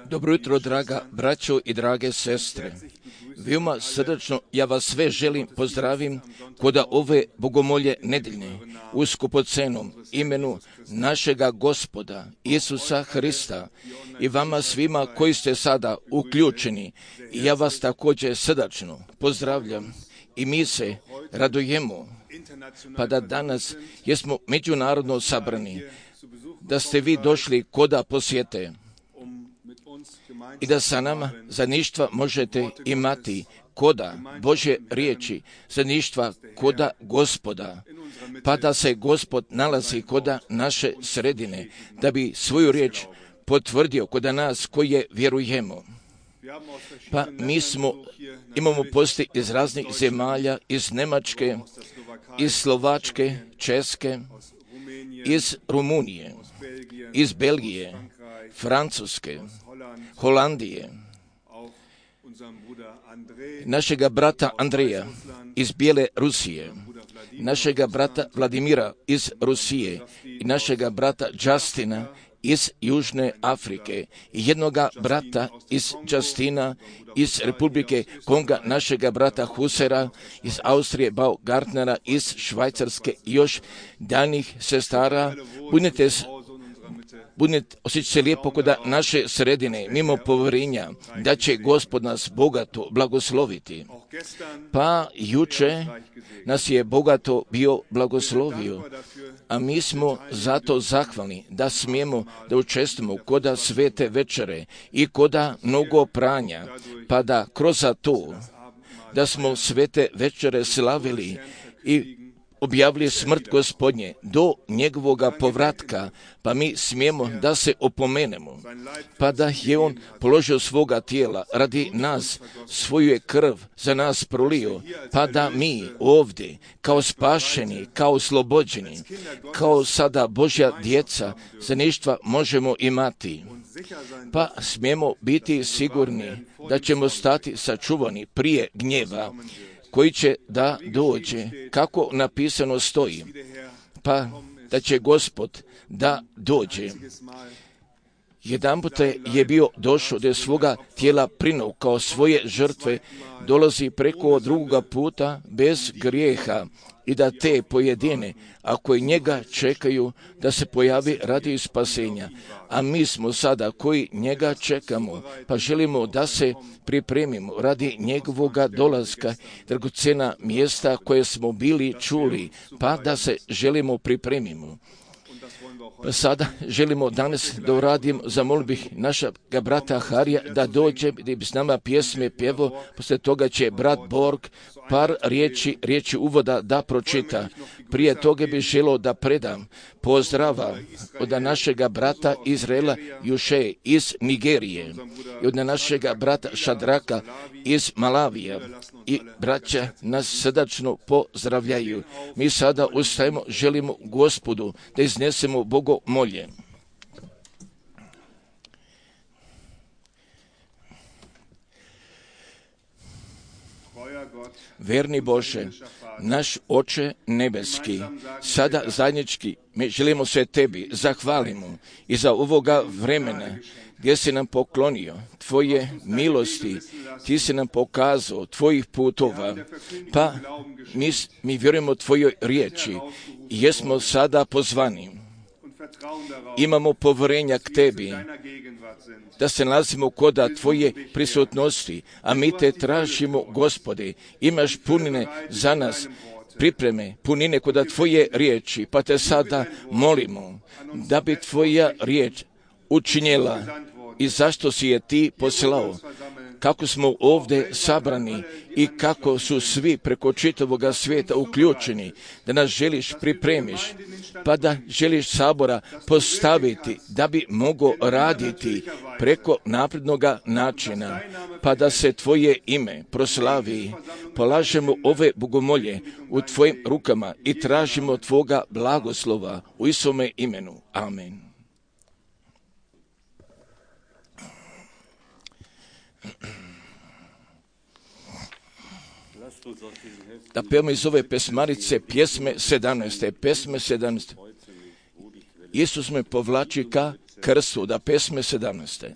Dobro jutro, draga braćo i drage sestre. Veoma srdačno ja vas sve želim pozdravim koda ove bogomolje nedeljne u skupocenom imenu našega Gospoda Isusa Hrista i vama svima koji ste sada uključeni. I ja vas također srdačno pozdravljam i mi se radujemo pa da danas jesmo međunarodno sabrani, da ste vi došli koda posjete i da sa nama zajedništva možete imati koda Božje riječi, zajedništva koda Gospoda, pa da se Gospod nalazi koda naše sredine, da bi svoju riječ potvrdio koda nas koje vjerujemo. Pa imamo posti iz raznih zemalja, iz Njemačke, iz Slovačke, Česke, iz Rumunije, iz Belgije, Francuske, Holandije, našega brata Andreja iz Bijele Rusije, našega brata Vladimira iz Rusije i našega brata Justina iz Južne Afrike i jednoga brata iz Justina iz Republike Konga, našega brata Husera iz Austrije, Baumgartnera iz Švajcarske i još daljnjih sestara. Osjećajte se lijepo kod naše sredine, mimo povjerenja da će Gospod nas bogato blagosloviti. Pa juče nas je bogato bio blagoslovio, a mi smo zato zahvalni da smijemo da učestvujemo koda svete večere i koda mnogo pranja, pa da kroz to da smo svete večere slavili i objavili smrt Gospodnje do njegovoga povratka, pa mi smijemo da se opomenemo, pa da je on položio svoga tijela radi nas, svoju je krv za nas prolio, pa da mi ovdje kao spašeni, kao oslobođeni, kao sada Božja djeca zajedništva možemo imati. Pa smijemo biti sigurni da ćemo stati sačuvani prije gnjeva koji će da dođe, kako napisano stoji, pa da će Gospod da dođe. Jedanput je bio došao da je svoga tijela prinuo kao svoje žrtve, dolazi preko drugoga puta bez grijeha i da te pojedine, ako i njega čekaju, da se pojavi radi spasenja. A mi smo sada koji njega čekamo, pa želimo da se pripremimo radi njegovoga dolaska, dragocjena mjesta koje smo bili čuli, pa da se želimo pripremimo. Pa sada želimo danas da uradim, zamolio bih našega brata Harija da dođe, da bi s nama pjesme pjevo, poslije toga će brat Borg par riječi uvoda da pročita. Prije toga bih želio da predam pozdrava od našega brata Izraela Juše iz Nigerije i od našega brata Šadraka iz Malavija. I braća nas srdačno pozdravljaju. Mi sada ustajemo, želimo Gospodu da iznesemo bogomolje. Verni Bože, naš Oče nebeski, sada zajednički mi želimo se Tebi zahvalimo i za ovoga vremena gdje si nam poklonio Tvoje milosti, Ti si nam pokazao Tvojih putova, pa mi vjerujemo Tvojoj riječi i jesmo sada pozvani. Imamo povjerenja k Tebi, da se nalazimo koda Tvoje prisutnosti, a mi Te tražimo, Gospode, imaš punine za nas, pripreme, punine koda Tvoje riječi, pa Te sada molimo da bi Tvoja riječ učinjela i zašto si je Ti poslao, kako smo ovdje sabrani i kako su svi preko čitavoga svijeta uključeni, da nas želiš pripremiš, pa da želiš sabora postaviti da bi mogao raditi preko naprednoga načina, pa da se Tvoje ime proslavi. Polažemo ove bogomolje u Tvojim rukama i tražimo Tvoga blagoslova u Isome imenu. Amen. Da pevamo iz ove pesmarice pjesme 17. Isus me povlači ka krstu, da pesme 17.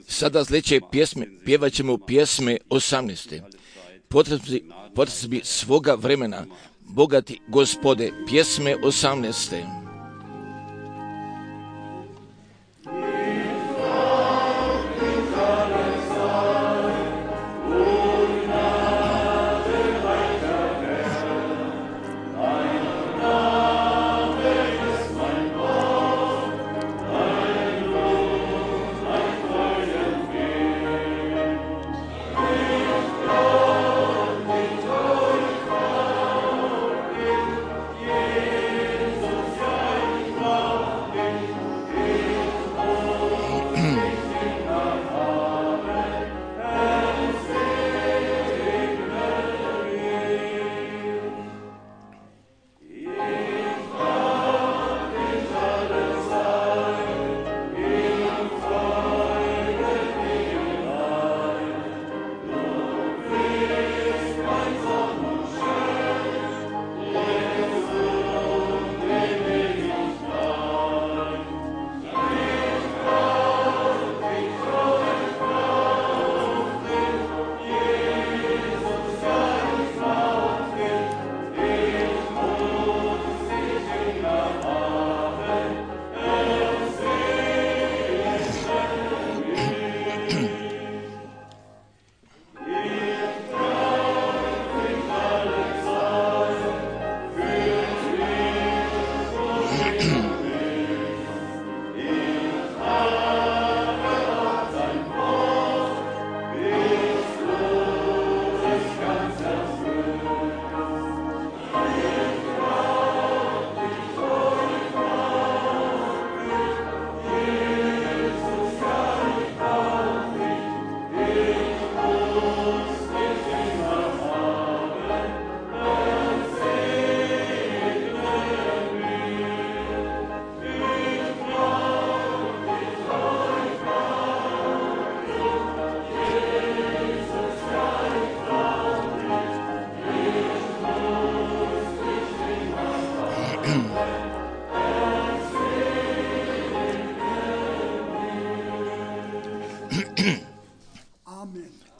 Sada sljedeće pjesme, pjevat ćemo pjesme 18. Potrebi svoga vremena, bogati Gospode, pjesme 18.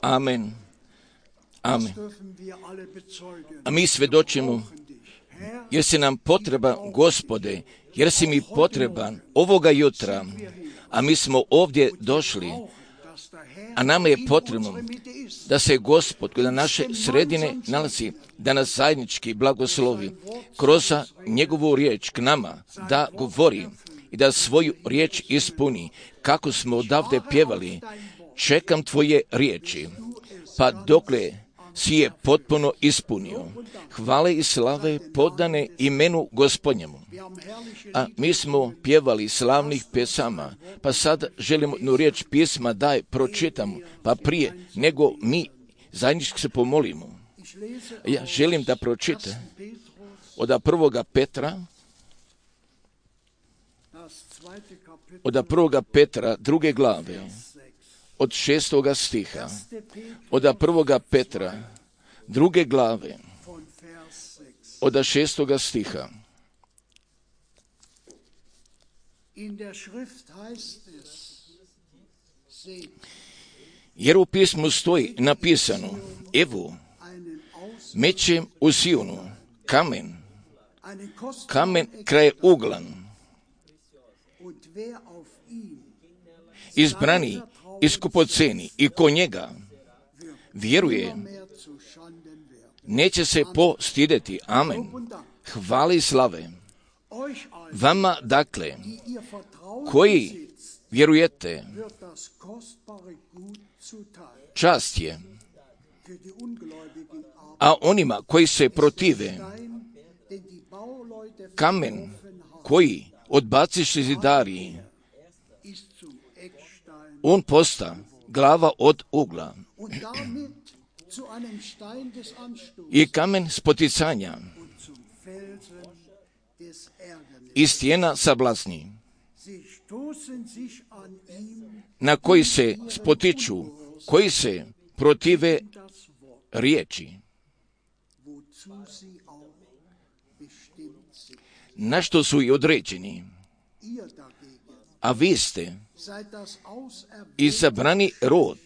Amen. Amen. A mi svjedočimo, jer si nam potreban, Gospode, jer si mi potreban ovoga jutra, a mi smo ovdje došli, a nama je potrebno da se Gospod koji na naše sredine nalazi, da nas zajednički blagoslovi kroz njegovu riječ k nama, da govori i da svoju riječ ispuni, kako smo odavde pjevali, čekam tvoje riječi, pa dokle si je potpuno ispunio. Hvale i slave podane imenu Gospodnjemu. A mi smo pjevali slavnih pjesama, pa sad želimo jednu riječ pisma daj pročitamo, pa prije nego mi zajednički se pomolimo. Ja želim da pročite od 1. Petra, od 1. Petra 2. glave, od 6. stiha, od 1. Petra 2. glave, od 6. stiha. Jer u pismu stoji napisano, evo, mećem u Sionu, kamen kraj uglan, izbrani, iskupoceni, i ko njega vjeruje, neće se postideti. Amen. Hvale i slave vama, dakle, koji vjerujete, čast je, a onima koji se protive, kamen koji odbaciše zidari, on posta glava od ugla i kamen spoticanja i stijena sablasni, na koji se spotiču, koji se protive riječi, na što su i određeni. a vi ste izabrani rod,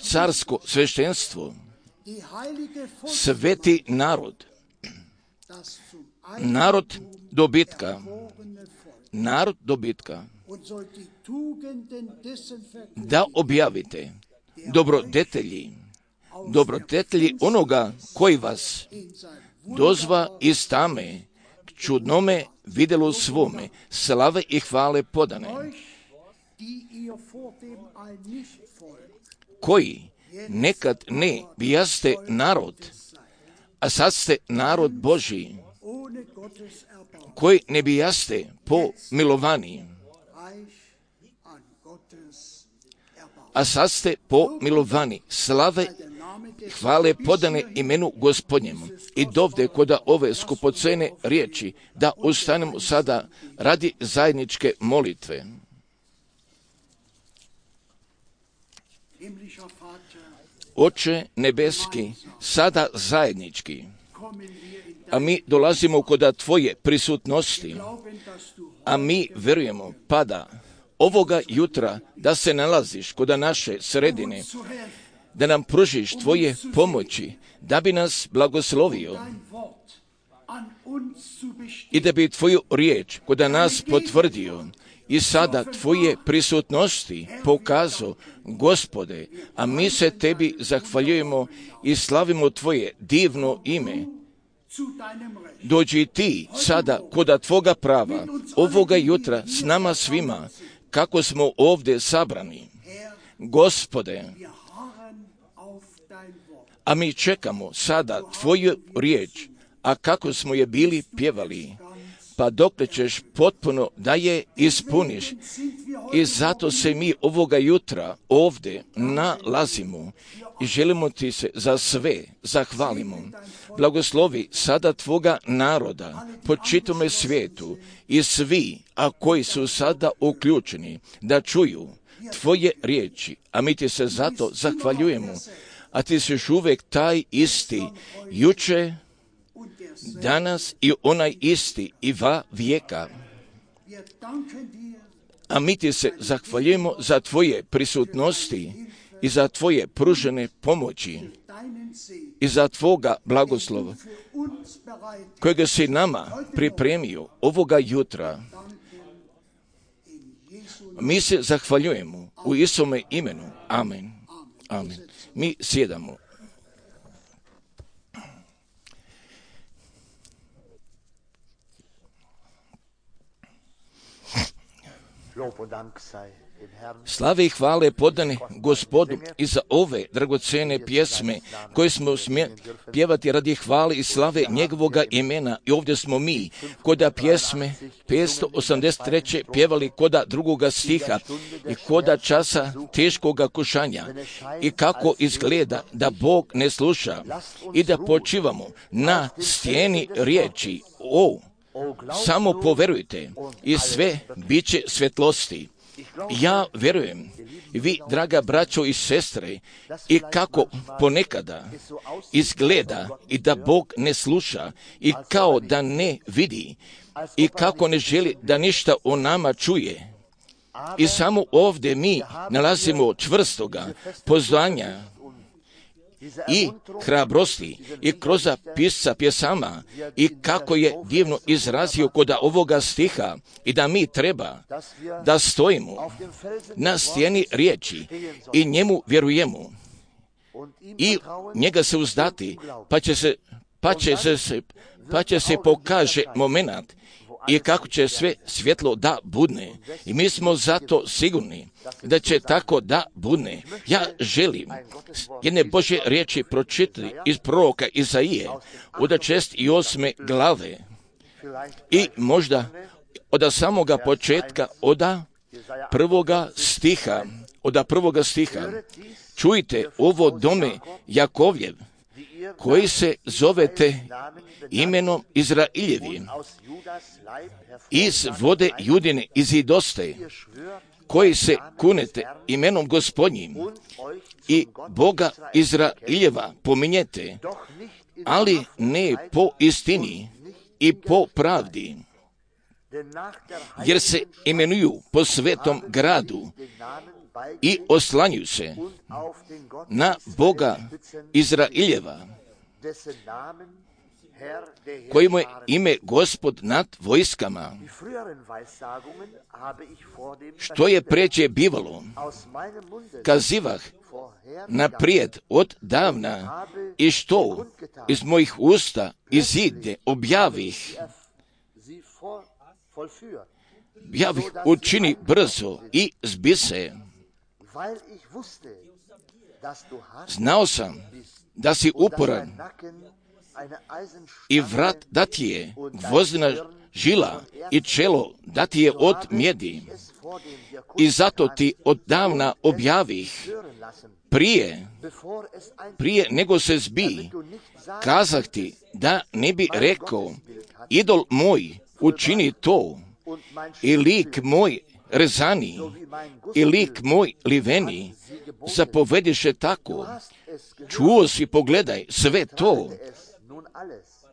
carsko sveštenstvo, sveti narod, narod dobitka, da objavite dobrodetelji onoga koji vas dozva iz tame k čudnome vidjelu svome, slave i hvale podane, koji nekad ne bijaste narod, a sad ste narod Božji, koji ne bijaste pomilovaní, a sad ste pomilovaní, slave i hvale podane imenu Gospodnjemu. I dovde koda ove skupocene riječi da ustanemo sada radi zajedničke molitve. Oče nebeski, sada zajednički, a mi dolazimo koda Tvoje prisutnosti, a mi verujemo pada ovoga jutra da se nalaziš koda naše sredine, da nam pružiš Tvoje pomoći, da bi nas blagoslovio i da bi Tvoju riječ koda nas potvrdio i sada Tvoje prisutnosti pokazao, Gospode, a mi se Tebi zahvaljujemo i slavimo Tvoje divno ime. Dođi Ti sada koda Tvoga prava, ovoga jutra s nama svima, kako smo ovdje sabrani. Gospode, a mi čekamo sada Tvoju riječ, a kako smo je bili pjevali, pa dokle ćeš potpuno da je ispuniš. I zato se mi ovoga jutra ovdje nalazimo i želimo Ti se za sve zahvalimo. Blagoslovi sada Tvoga naroda po čitome svijetu i svi, a koji su sada uključeni, da čuju Tvoje riječi, a mi Ti se zato zahvaljujemo. A Ti si još uvijek taj isti, juče, danas i onaj isti i va vijeka. A mi Ti se zahvaljujemo za Tvoje prisutnosti i za Tvoje pružene pomoći i za Tvoga blagoslova kojega si nama pripremio ovoga jutra. Mi se zahvaljujemo u Isome imenu. Amen. Amen. Mi sjedamo. Slave i hvale podane Gospodu i za ove dragocene pjesme koje smo pjevati radi hvale i slave njegovoga imena. I ovdje smo mi koda pjesme 583. pjevali koda drugoga stiha i koda časa teškoga kušanja i kako izgleda da Bog ne sluša i da počivamo na stijeni riječi. Samo poverujte i sve bit će svjetlosti. Ja vjerujem, vi, draga braćo i sestre, i kako ponekada izgleda i da Bog ne sluša i kao da ne vidi i kako ne želi da ništa o nama čuje. I samo ovdje mi nalazimo čvrstoga poznanja i hrabrosti i kroz pisca pjesama i kako je divno izrazio koda ovoga stiha i da mi treba da stojimo na stijeni riječi i njemu vjerujemo i njega se uzdati pa će se pokaže momenat i kako će sve svjetlo da budne. I mi smo zato sigurni da će tako da budne. Ja želim jedne Božje riječi pročitati iz proroka Izaije od 68. glave i možda od samoga početka od prvoga stiha. Čujte ovo dome Jakovljev, koji se zovete imenom Izrailjevi, iz vode Judine izidoste, koji se kunete imenom Gospodnjim i Boga Izrailjeva pominjete, ali ne po istini i po pravdi. jer se imenuju po svetom gradu i oslanjuju se na Boga Izraeljeva, kojemu je ime Gospod nad vojskama. Što je preče bivalo, kazivah naprijed od davna, i što iz mojih usta izide objavih, javih učini brzo i zbise. Znao sam da si uporan i vrat da ti je gvozdena žila i čelo da ti je od mjedi. I zato ti od davna objavih, prije nego se zbi, kazah ti da ne bi rekao, idol moj učini to, i lik moj rezani, i lik moj liveni, zapovediše tako. Čuo si, pogledaj,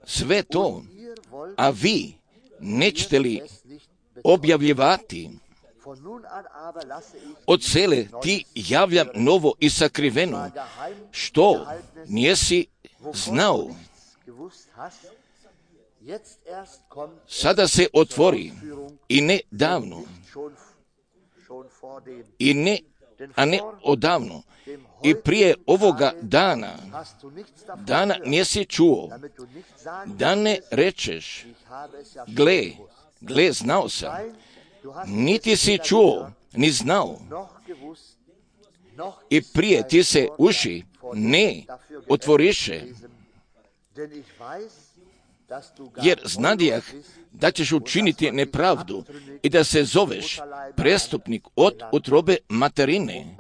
sve to, a vi nećete li objavljivati? Od cele ti javljam novo i sakriveno, što nijesi znao. Sada se otvori, i ne davno, a ne odavno, i prije ovoga dana nisi čuo, da ne rečeš, gle, znao sam. Niti si čuo, ni znao, i prije ti se uši ne otvoriše, jer znadijah da ćeš učiniti nepravdu i da se zoveš prestupnik od utrobe materine.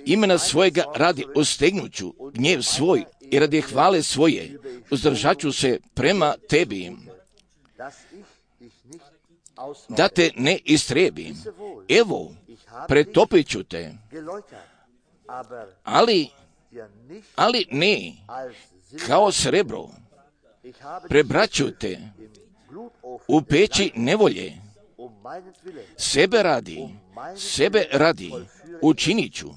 Imena svojega radi ostegnuću gnjev svoj i radi hvale svoje uzdržat ću se prema tebi, da te ne istrebim. Evo, pretopit ću te, ali ne kao srebro, prebraću te u peći nevolje. Sebe radi učinit ću,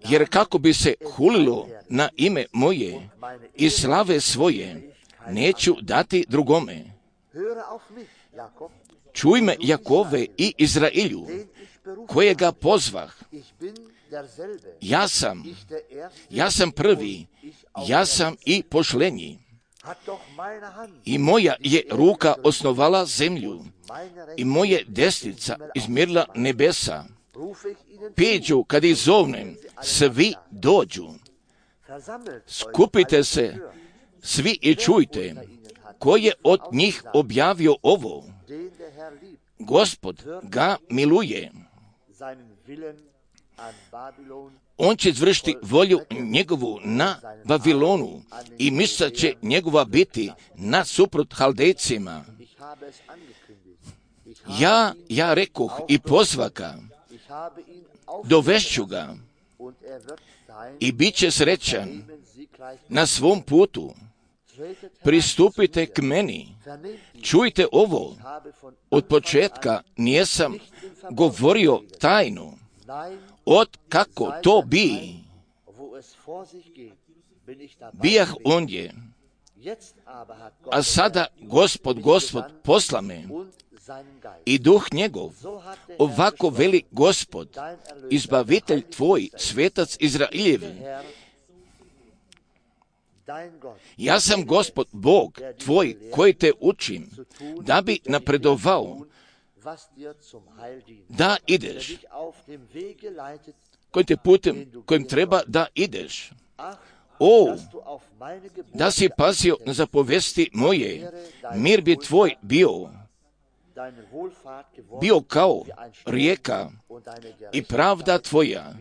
jer kako bi se hulilo na ime moje i slave svoje, neću dati drugome. Čuj me, Jakove i Izraelju, kojega pozvah. Ja sam prvi, ja sam i pošlenji. I moja je ruka osnovala zemlju, i moje desnica izmjerila nebesa. Peđu, kad ih zovnem, svi dođu. Skupite se svi i čujte, ko je od njih objavio ovo. Gospod ga miluje. On će izvršiti volju njegovu na Vavilonu i misla će njegova biti nasuprot Haldejcima. Ja rekoh i pozvaka, dovešću ga i bit će srećan na svom putu. Pristupite k meni, čujte ovo, od početka nijesam govorio tajnu, od kako to bi, bijah ondje, a sada Gospod posla me, i duh njegov, ovako veli Gospod, izbavitelj tvoj, svetac Izraeljev. Ja sam Gospod, Bog tvoj, koji te učim, da bi napredovao, da ideš, kojim te putem, kojim treba da ideš. O, da si pazio na zapovesti moje, mir bi tvoj bio kao rijeka i pravda tvoja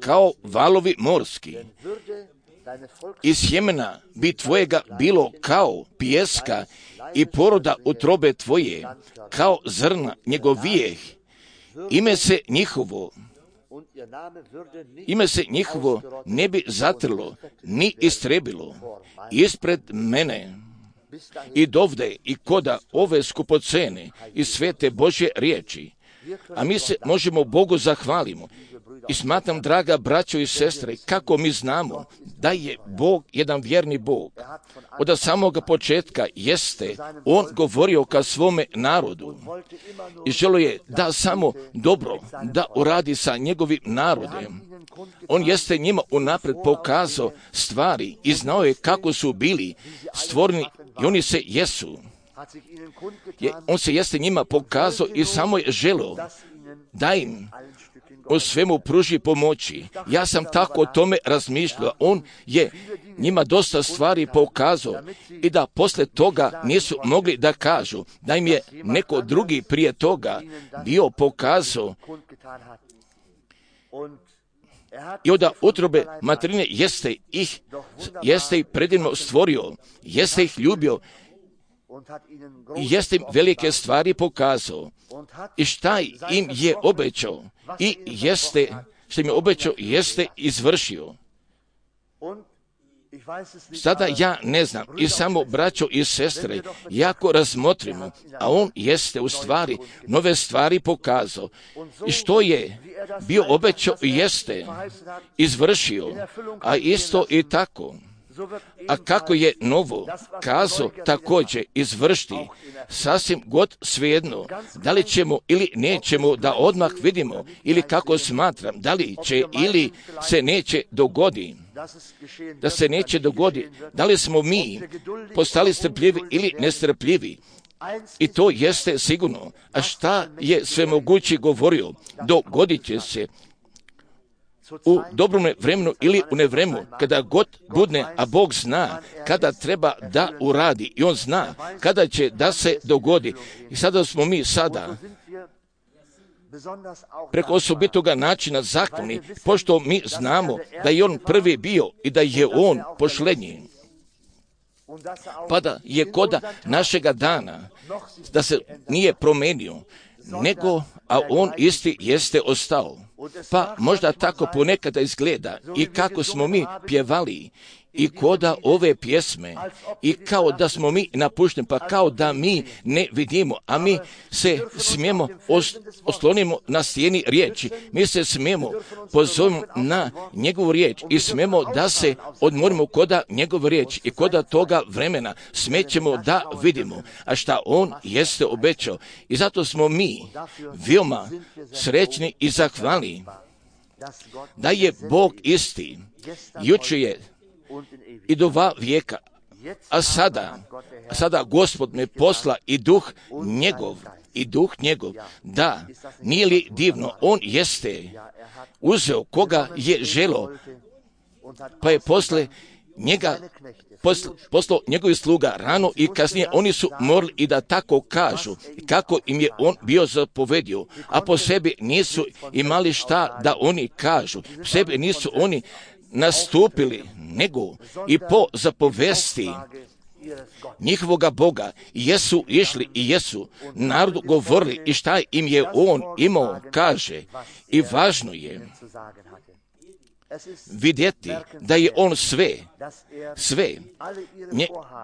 kao valovi morski. I sjemena bi tvojega bilo kao pijeska i poroda utrobe tvoje kao zrna njegovijeh. Ime se njihovo ime se njihovo ne bi zatrlo, ni istrebilo ispred mene. I dovde i koda ove skupocene i svete Božje riječi. A mi se možemo Bogu zahvalimo. I smatram, draga braćo i sestre, kako mi znamo da je Bog jedan vjerni Bog. Od samoga početka jeste On govorio ka svome narodu i želio je da samo dobro da uradi sa njegovim narodem. On jeste njima unapred pokazao stvari i znao je kako su bili stvoreni i oni se jesu. On se jeste njima pokazao i samo je želio da im o svemu pruži pomoći. Ja sam tako o tome razmišljao. On je njima dosta stvari pokazao i da posle toga nisu mogli da kažu da im je neko drugi prije toga bio pokazao. I od utrobe materine jeste ih predivno stvorio, jeste ih ljubio i jeste im velike stvari pokazao. I šta im je obećao i što im je obećao jeste izvršio. Sada ja ne znam i samo braćo i sestre jako razmotrimo, a on jeste u stvari nove stvari pokazao. I što je bio obećao jeste izvršio, a isto i tako. A kako je novo kazao također izvršiti, sasvim god svejedno, da li ćemo ili nećemo da odmah vidimo, ili kako smatram, da li će ili se neće dogoditi. Da se neće dogoditi, da li smo mi postali strpljivi ili nestrpljivi. I to jeste sigurno. A šta je svemogući govorio? Dogodit će se u dobrom vremenu ili u nevremenu, kada god budne, a Bog zna kada treba da uradi i On zna kada će da se dogodi. I sada smo mi preko osobitoga načina zahvalni, pošto mi znamo da je On prvi bio i da je On pošlednji. Pa da je koda našega dana, da se nije promenio, nego, a On isti jeste ostao. Pa možda tako ponekada izgleda i kako smo mi pjevali i koda ove pjesme i kao da smo mi napušteni, pa kao da mi ne vidimo, a mi se smijemo oslonimo na stijeni riječi, mi se smijemo pozovimo na njegovu riječ i smijemo da se odmorimo koda njegovu riječ i koda toga vremena smećemo da vidimo, a šta on jeste obećao. I zato smo mi veoma srećni i zahvalni da je Bog isti, jučer je i do 2 vijeka, a sada Gospod me posla i duh njegov, da, nije li divno, on jeste uzeo koga je želo, pa je posle njega poslao njegovih sluga rano i kasnije oni su morali i da tako kažu kako im je on bio zapovedio, a po sebi nisu imali šta da oni kažu, po sebi nisu oni nastupili, nego i po zapovesti njihovoga Boga jesu išli i jesu narodu govorili i šta im je on imao kaže. I važno je vidjeti da je on sve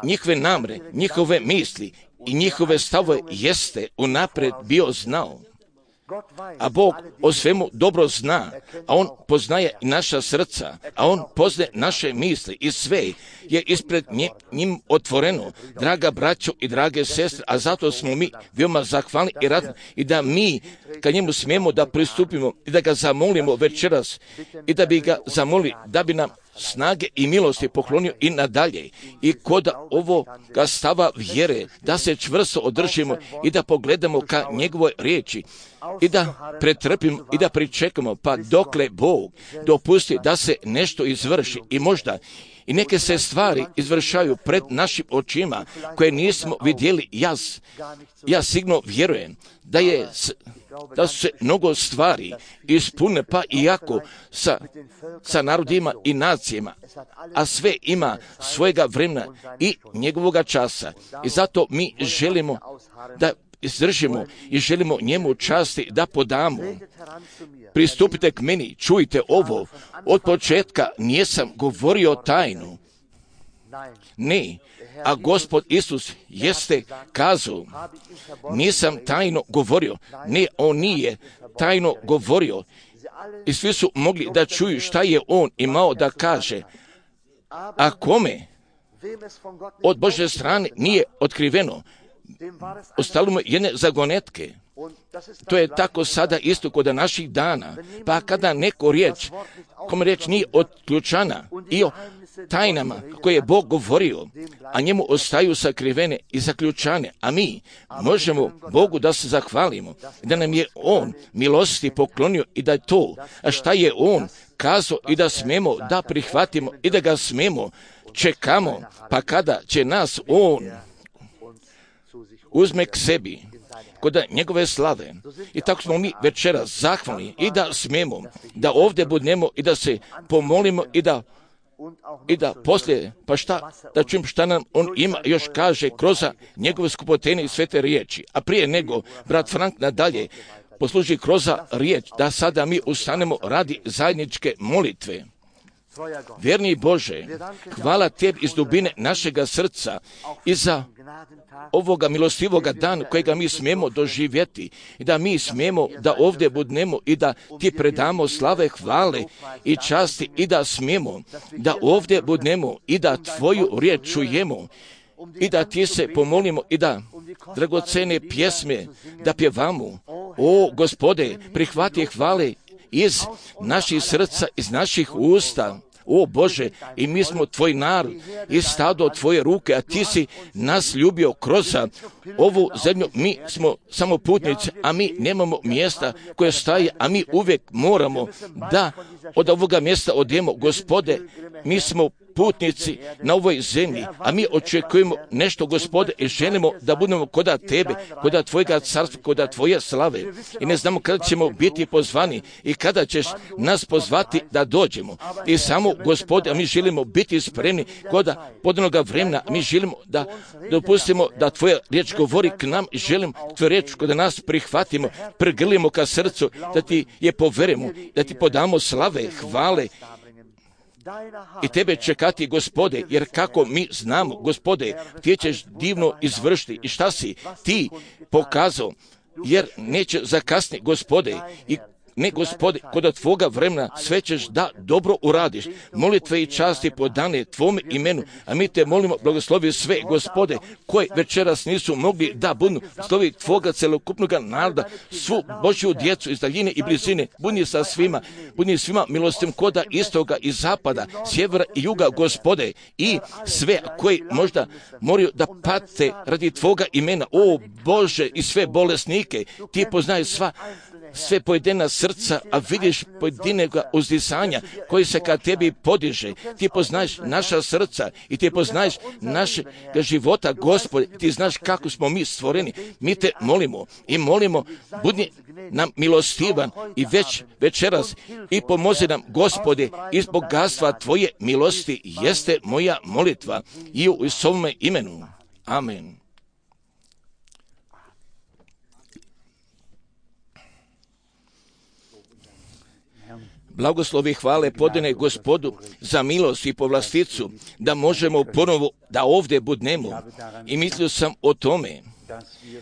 njihove namre, njihove misli i njihove stavove jeste unaprijed bio znao. A Bog o svemu dobro zna, a On poznaje i naša srca, a On poznaje naše misli i sve je ispred njim otvoreno, draga braćo i drage sestre, a zato smo mi veoma zahvalni i radni i da mi ka njemu smijemo da pristupimo i da ga zamolimo večeras i da bi ga zamolili da bi nam snage i milosti poklonio i nadalje i kod ovoga stava vjere da se čvrsto održimo i da pogledamo ka njegovoj riječi i da pretrpimo i da pričekamo pa dokle Bog dopusti da se nešto izvrši i možda i neke se stvari izvršaju pred našim očima koje nismo vidjeli. Ja sigurno vjerujem da su se mnogo stvari ispune, pa iako sa narodima i nacijama, a sve ima svojega vremena i njegovoga časa. I zato mi želimo da izdržimo i želimo njemu časti da podamo. Pristupite k meni, čujte ovo, od početka nisam govorio tajnu. Ne, a Gospod Isus jeste kazao, nisam tajno govorio. Ne, on nije tajno govorio. I svi su mogli da čuju šta je on imao da kaže. A kome od Božje strane nije otkriveno, ostalo mu jedne zagonetke. To je tako sada isto kod naših dana. Pa kada neko riječ, kome riječ nije otključana i o tajnama koje je Bog govorio, a njemu ostaju sakrivene i zaključane, a mi možemo Bogu da se zahvalimo, da nam je On milosti poklonio i da je to, a šta je On kazao i da smemo da prihvatimo i da ga smemo, čekamo, pa kada će nas On uzme k sebi, kod njegove slave. I tako smo mi večeras zahvalni i da smemo, da ovdje budemo i da se pomolimo i da poslije, pa šta, da čujem šta nam on ima još kaže kroz njegove skupotene i svete riječi. A prije nego, brat Frank nadalje posluži kroz riječ, da sada mi ustanemo radi zajedničke molitve. Vjerni Bože, hvala Tebi iz dubine našega srca i za ovoga milostivoga dana kojega mi smijemo doživjeti i da mi smijemo da ovdje budemo i da Ti predamo slave, hvale i časti i da smijemo da ovdje budemo i da Tvoju riječ čujemo i da Ti se pomolimo i da dragocene pjesme da pjevamo. O Gospode, prihvati hvale iz naših srca, iz naših usta. O Bože, i mi smo Tvoj narod i stado Tvoje ruke, a Ti si nas ljubio kroz ovu zemlju. Mi smo samo putnici, a mi nemamo mjesta koje staje, a mi uvijek moramo da od ovoga mjesta odemo. Gospode, mi smo putnici na ovoj zemlji, a mi očekujemo nešto, Gospode, i želimo da budemo koda Tebe, koda Tvojega carstva, koda Tvoje slave. I ne znamo kada ćemo biti pozvani i kada ćeš nas pozvati da dođemo. I samo, Gospode, a mi želimo biti spremni koda podanoga vremena. Mi želimo da dopustimo da Tvoja riječ govori k nam i želimo Tvoju riječ koda nas prihvatimo, prigrlimo ka srcu, da Ti je poverimo, da Ti podamo slave, hvale, i Tebe čekati, Gospode, jer kako mi znamo, Gospode, Ti ćeš divno izvršiti i šta si Ti pokazao, jer neće zakasniti, Gospode, i ne, Gospode, kod Tvoga vremena sve ćeš da dobro uradiš. Molitve i časti podane Tvome imenu, a mi Te molimo, blagoslovi sve, Gospode, koji večeras nisu mogli da budu, slovi Tvoga celokupnog naroda, svu Božju djecu iz daljine i blizine, budi sa svima, budi svima milostim koda istoga i zapada, sjevera i juga, Gospode, i sve koji možda moraju da pate radi Tvoga imena, o Bože, i sve bolesnike, Ti poznaješ sve pojedina srca, a vidiš pojedinega uzdisanja koji se ka Tebi podiže. Ti poznaješ naša srca i Ti poznaješ našega života, Gospode. Ti znaš kako smo mi stvoreni. Mi Te molimo i molimo, budi nam milostivan i večeras i pomozi nam, Gospode, iz bogatstva Tvoje milosti jeste moja molitva i u Isusovome imenu. Amen. Blagoslovi hvale podane Gospodu za milost i povlasticu, da možemo ponovo da ovdje budnemo. I mislio sam o tome,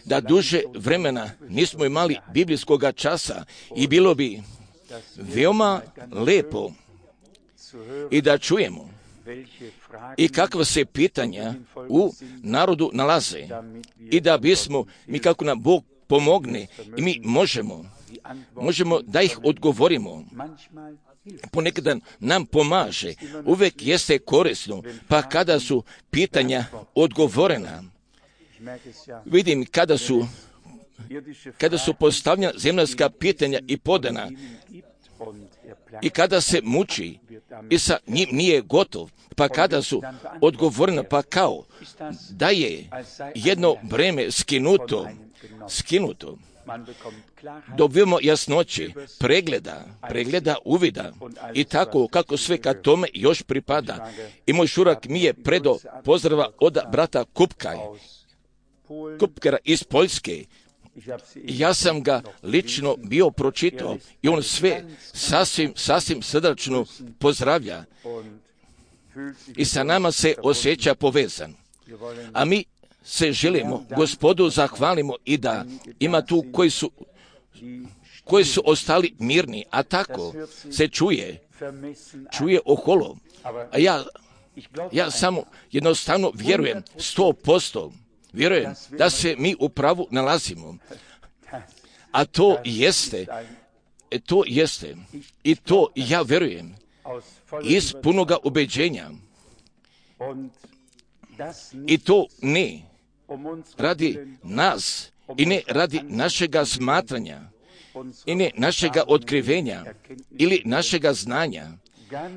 da duže vremena nismo imali biblijskog časa i bilo bi veoma lepo i da čujemo i kakva se pitanja u narodu nalaze i da bismo, mi kako nam Bog pomogne i mi možemo da ih odgovorimo. Ponekad nam pomaže, uvijek jeste korisno, pa kada su pitanja odgovorena, vidim kada su postavljena zemaljska pitanja i podana i kada se muči i sa njim nije gotov, pa kada su odgovorena, pa kao da je jedno breme skinuto, dobijemo jasnoće, pregleda, uvida i tako kako sve ka tome još pripada. I moj šurak mi je predo pozdrava od brata Kupkera iz Poljske, Ja sam ga lično bio pročitao i on sve sasvim srdačno pozdravlja i sa nama se osjeća povezan. A mi se želimo Gospodu zahvalimo i da ima tu koji su ostali mirni, a tako se čuje oholo. A ja samo jednostavno vjerujem 100%, vjerujem da se mi u pravu nalazimo. A to jeste i to ja vjerujem iz punoga ubeđenja. I to ne radi nas i ne radi našega smatranja i ne našega otkrivenja ili našega znanja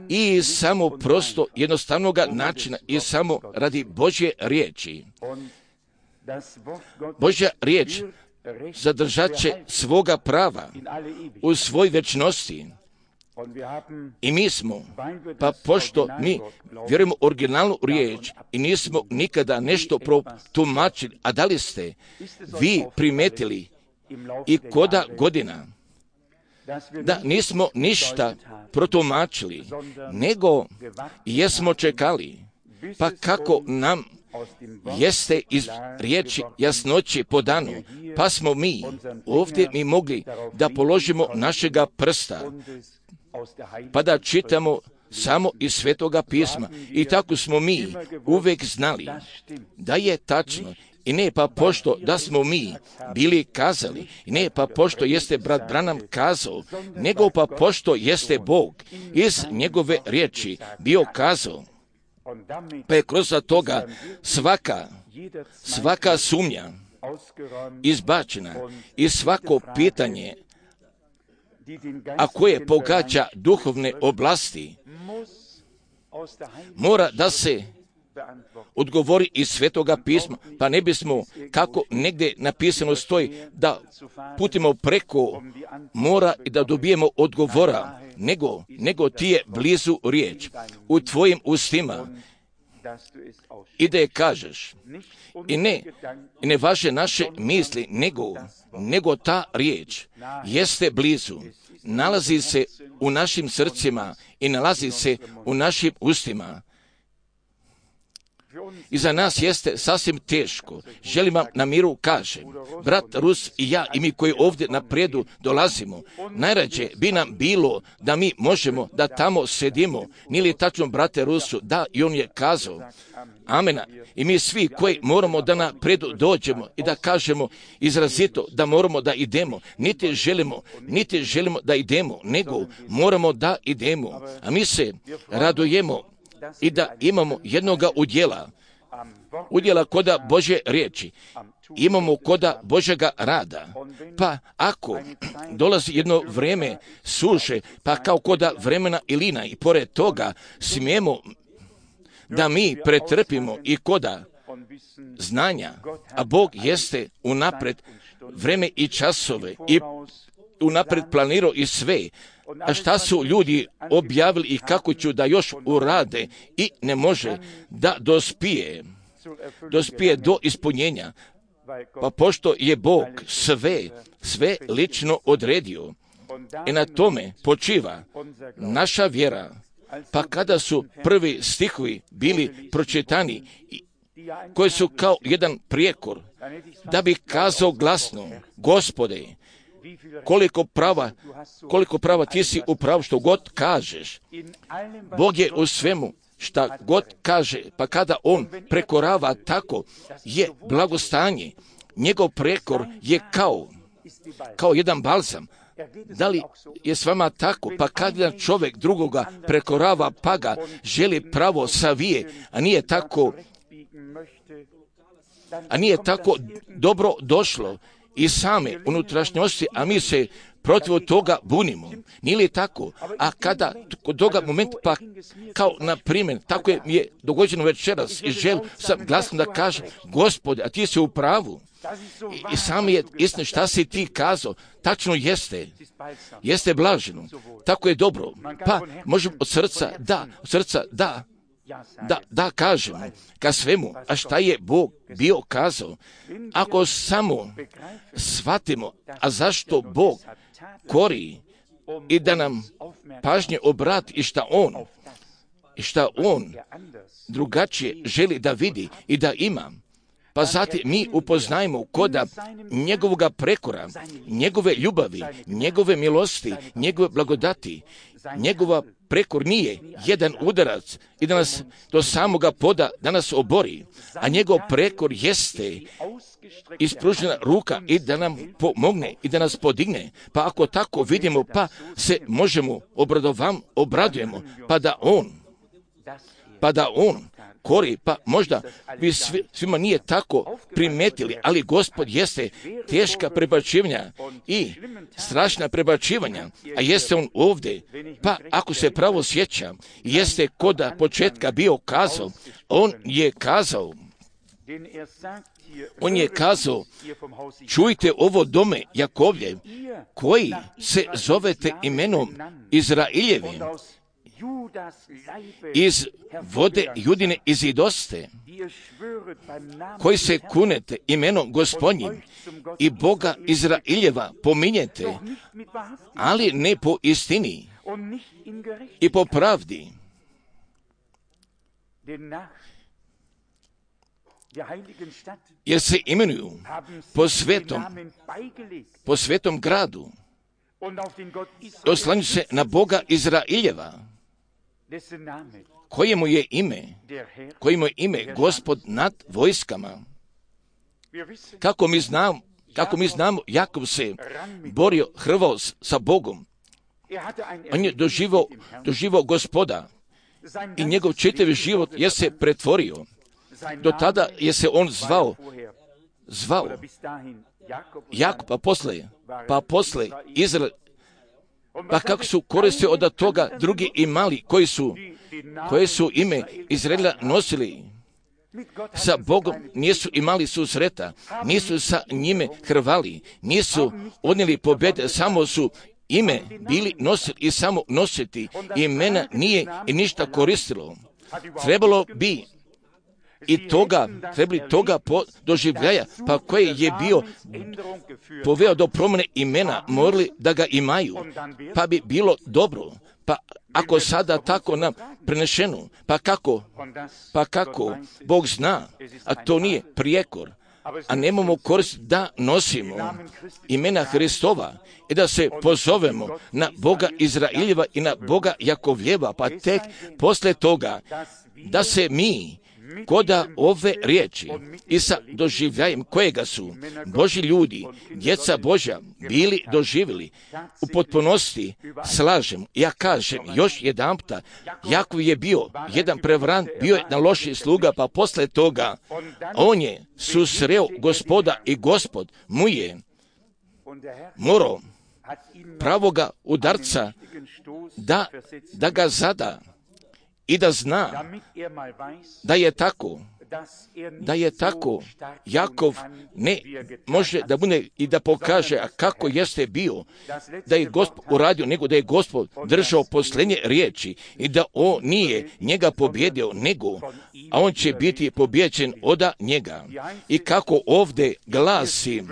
i samo prosto jednostavnoga načina i samo radi Božje riječi. Božja riječ zadržat će svoga prava u svoj večnosti. I mi smo, pa pošto mi vjerujemo originalnu riječ i nismo nikada nešto protumačili, a da li ste vi primetili i koda godina da nismo ništa protumačili, nego jesmo čekali, pa kako nam jeste iz riječi jasnoći po danu, pa smo mi ovdje mi mogli da položimo našega prsta, pa da čitamo samo iz Svetoga pisma. I tako smo mi uvijek znali da je tačno. I ne pa pošto da smo mi bili kazali, i ne pa pošto jeste brat Branham kazao, nego pa pošto jeste Bog iz njegove riječi bio kazao. Pa je kroz toga svaka sumnja izbačena i svako pitanje, a koje pogađa duhovne oblasti, mora da se odgovori iz Svetoga pisma, pa ne bismo, kako negdje napisano stoji, da putimo preko mora i da dobijemo odgovora, nego ti je blizu riječ u tvojim ustima i da je kažeš. I ne važe naše misli, nego ta riječ jeste blizu, nalazi se u našim srcima i nalazi se u našim ustima. I za nas jeste sasvim teško. Želim vam na miru kažem, brat Rus i ja i mi koji ovdje napredu dolazimo, najrađe bi nam bilo da mi možemo da tamo sedimo. Nije li tačno, brate Rusu? Da, i on je kazao. Amena. I mi svi koji moramo da napredu dođemo i da kažemo izrazito da moramo da idemo. Niti želimo da idemo, nego moramo da idemo. A mi se radujemo i da imamo jednoga udjela koda Božje riječi, imamo koda Božjega rada. Pa ako dolazi jedno vrijeme suše, pa kao koda vremena Ilina i pored toga smijemo da mi pretrpimo i koda znanja, a Bog jeste unapred vreme i časove i unapred planirao i sve. A šta su ljudi objavili i kako ću da još urade i ne može da dospije do ispunjenja. Pa pošto je Bog sve lično odredio i na tome počiva naša vjera. Pa kada su prvi stihovi bili pročitani, koji su kao jedan prijekor, da bi kazao glasno, Gospode, koliko prava ti si u pravu što god kažeš. Bog je u svemu šta god kaže, pa kada on prekorava, tako je blagostanje. Njegov prekor je kao jedan balzam. Da li je s vama tako? Pa kada čovjek drugoga prekorava, pa ga želi pravo savije, a nije tako dobro došlo i same unutrašnjosti, a mi se protiv toga bunimo. Nije li tako? A kada kod toga momenta, pa kao na primjer, tako je dogođeno večeras i želim sam glasno da kažem, Gospode, a ti si u pravu. I sam je istina šta si ti kazao, tačno jeste blaženo, tako je dobro. Pa možemo od srca da da kažemo ka svemu, a šta je Bog bio kazao. Ako samo shvatimo, a zašto Bog kori i da nam pažnje obrati i šta on drugačije želi da vidi i da ima, pa zatim mi upoznajemo koda njegovoga prekora, njegove ljubavi, njegove milosti, njegove blagodati. Njegova prekor nije jedan udarac i da nas do samoga poda da nas obori, a njegov prekor jeste ispružena ruka i da nam pomogne i da nas podigne. Pa ako tako vidimo, pa se možemo obradujemo, pa da on kori, pa možda vi svima nije tako primetili, ali Gospod jeste teška prebačivanja i strašna prebačivanja, a jeste on ovdje, pa ako se pravo sjeća, jeste koda početka bio kazao, on je kazao, čujte ovo dome Jakovljev, koji se zovete imenom Izraeljevim, iz vode Judine izidoste, koji se kunete imenom Gospodnjim i Boga Izraeljeva pominjete, ali ne po istini i po pravdi. Jer se imenuju po svetom gradu, oslanju se na Boga Izraeljeva, kojemu je ime Gospod nad vojskama. Kako mi znamo, Jakov se borio, hrvao sa Bogom. On je doživao Gospoda i njegov čitavi život je se pretvorio. Do tada je se on zvao Jakov, pa posle Izrael. Pa kako su koriste od toga drugi imali koji su ime Izraela nosili sa Bogom, nisu imali susreta, nisu sa njime hrvali, nisu odnijeli pobjede, samo su ime bili nosili i samo nositi, imena nije i ništa koristilo. Trebali toga doživljaja, pa koje je bio poveo do promjene imena, morali da ga imaju, pa bi bilo dobro. Pa ako sada tako nam prenešeno, pa kako Bog zna, a to nije prijekor, a nemamo korist da nosimo imena Hristova i da se pozovemo na Boga Izraeljeva i na Boga Jakovljeva, pa tek posle toga da se mi koda ove riječi i sa doživljajem kojega su Božji ljudi, djeca Božja, bili doživjeli u potpunosti, slažem. Ja kažem još jedanputa, Jakov je bio jedan prevarant, bio je na loši sluga, pa posle toga on je susreo Gospoda i Gospod mu je morao pravoga udarca da ga zada i da zna da je tako, Jakov ne može da bude i da pokaže kako jeste bio, da je Gospod uradio, nego da je Gospod držao posljednje riječi i da on nije njega pobjedio, a on će biti pobjeđen od njega. I kako ovdje glasi,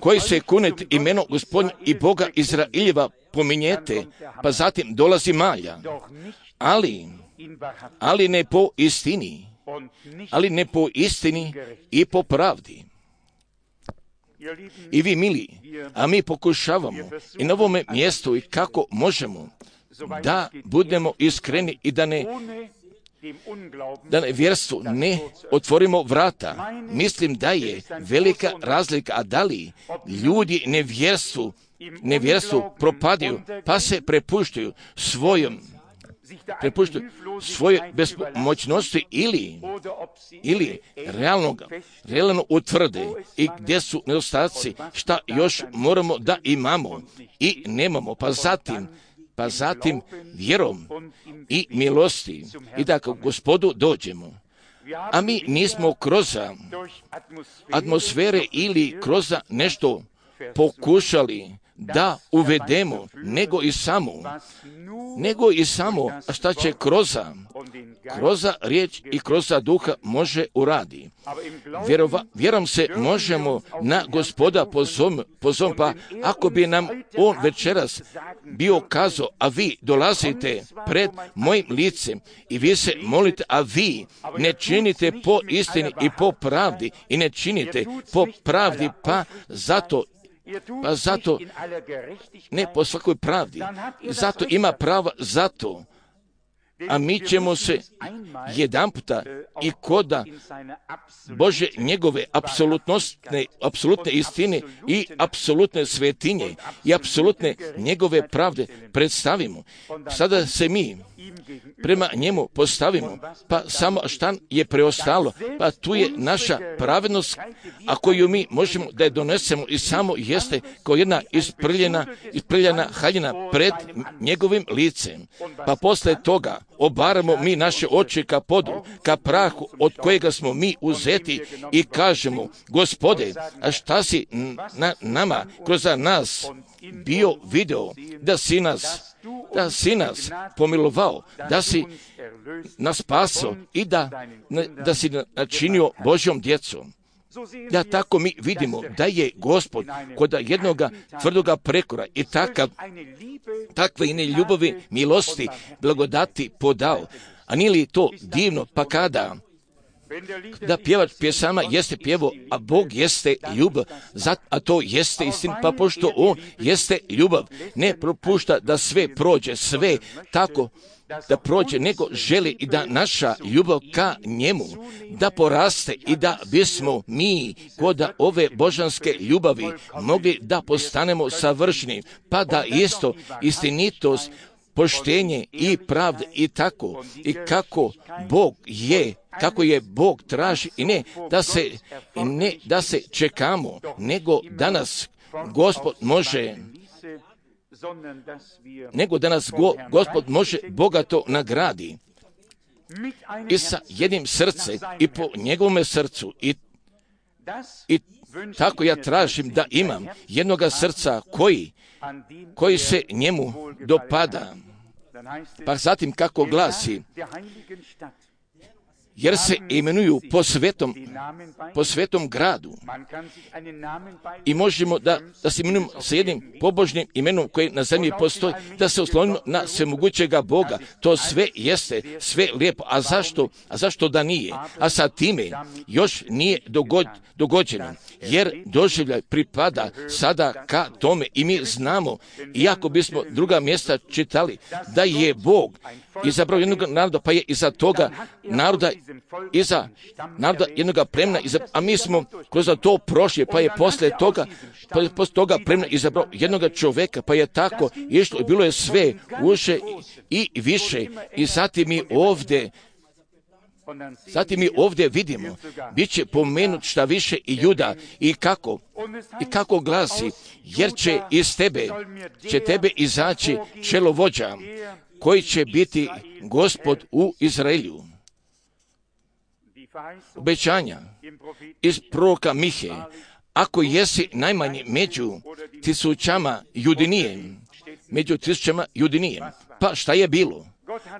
koji se kunet imenom Gospodnja i Boga Izraeljeva pominjete, pa zatim dolazi malja, ali ne po istini i po pravdi. I vi mili, a mi pokušavamo i na ovome mjestu i kako možemo da budemo iskreni i da nevjerstvu ne otvorimo vrata. Mislim da je velika razlika, a da li ljudi nevjerstvu propadaju, pa se prepuštaju svoje bespomoćnosti ili realno utvrde i gdje su nedostaci, šta još moramo da imamo i nemamo, pa zatim vjerom i milosti i da k Gospodu dođemo. A mi nismo kroz atmosfere ili kroz nešto pokušali da uvedemo, nego i samo, a šta će kroz riječ i kroz duha može uradi. Vjerom se možemo na Gospoda pozom, pa ako bi nam on večeras bio kazao, a vi dolazite pred mojim licem i vi se molite, a vi ne činite po istini i po pravdi i ne činite po pravdi, pa zato ne po svakoj pravdi, zato ima prava zato, a mi ćemo se jedanputa i koda Bože njegove apsolutne istine i apsolutne svetinje i apsolutne njegove pravde predstavimo. Sada se mi prema njemu postavimo, pa samo šta je preostalo, pa tu je naša pravednost, a koju mi možemo da je donesemo i samo jeste kao jedna isprljena haljina pred njegovim licem. Pa posle toga obaramo mi naše oči ka podu, ka prahu od kojega smo mi uzeti i kažemo, Gospode, a šta si nama kroz nas bio video, da si nas pomilovao, da si nas spasao i da si načinio Božjom djecom. Da tako mi vidimo da je Gospod kod jednoga tvrdoga prekora i takve ine ljubavi, milosti, blagodati podao. A nije li to divno, pa kada da pjevač pjesama jeste pjevo, a Bog jeste ljubav, a to jeste istina, pa pošto on jeste ljubav, ne propušta da sve prođe, sve tako da prođe, nego želi i da naša ljubav ka njemu da poraste i da bismo mi kod ove božanske ljubavi mogli da postanemo savršeni, pa da isto istinitost, poštenje i pravda i tako i kako je Bog traži i ne da se čekamo, nego da nas Gospod može bogato nagradi i sa jednim srcem i po njegovome srcu i tako ja tražim da imam jednoga srca koji se njemu dopada. Pa zatim kako glasi, jer se imenuju po svetom gradu. I možemo da se imenujemo sa jednim pobožnim imenom koji na zemlji postoji, da se oslonimo na svemogućega Boga. To sve jeste, sve lijepo. A zašto da nije? A sa time još nije dogođeno, jer doživljaj pripada sada ka tome i mi znamo, iako bismo druga mjesta čitali, da je Bog izabrao jednog naroda, pa je iza toga naroda jednog plemena, a mi smo kroz to prošli, pa je posle toga plemena izabrao jednog čoveka, pa je tako išlo i bilo je sve uše i više. I zatim mi ovdje vidimo, bit će pomenut šta više i Juda i kako glasi, jer će iz tebe izaći čelovođa, koji će biti Gospod u Izraelju. Obećanja iz proroka Mihe, ako jesi najmanji među tisućama Judinijem, pa šta je bilo?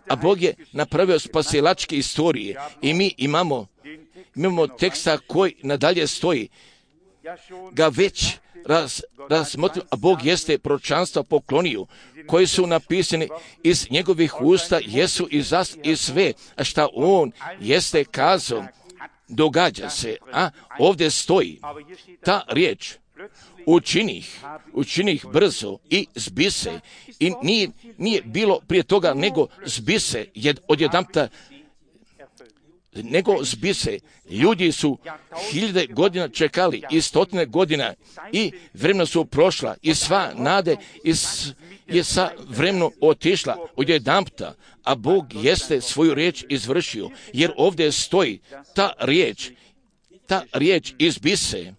A Bog je napravio spasilačke istorije i mi imamo teksta koji nadalje stoji, ga već razmotrimo, a Bog jeste proročanstva poklonio, koji su napisani iz njegovih usta, jesu i sve, a šta on jeste kazao, događa se, a ovdje stoji ta riječ, učinih brzo i zbise, i nije bilo prije toga nego zbise, odjedanputa nego zbise. Ljudi su 1000 godina čekali i 100 godina i vremena su prošla i sva nade je sa vremenom otišla odjedanputa, a Bog jeste svoju riječ izvršio, jer ovdje stoji ta riječ izbise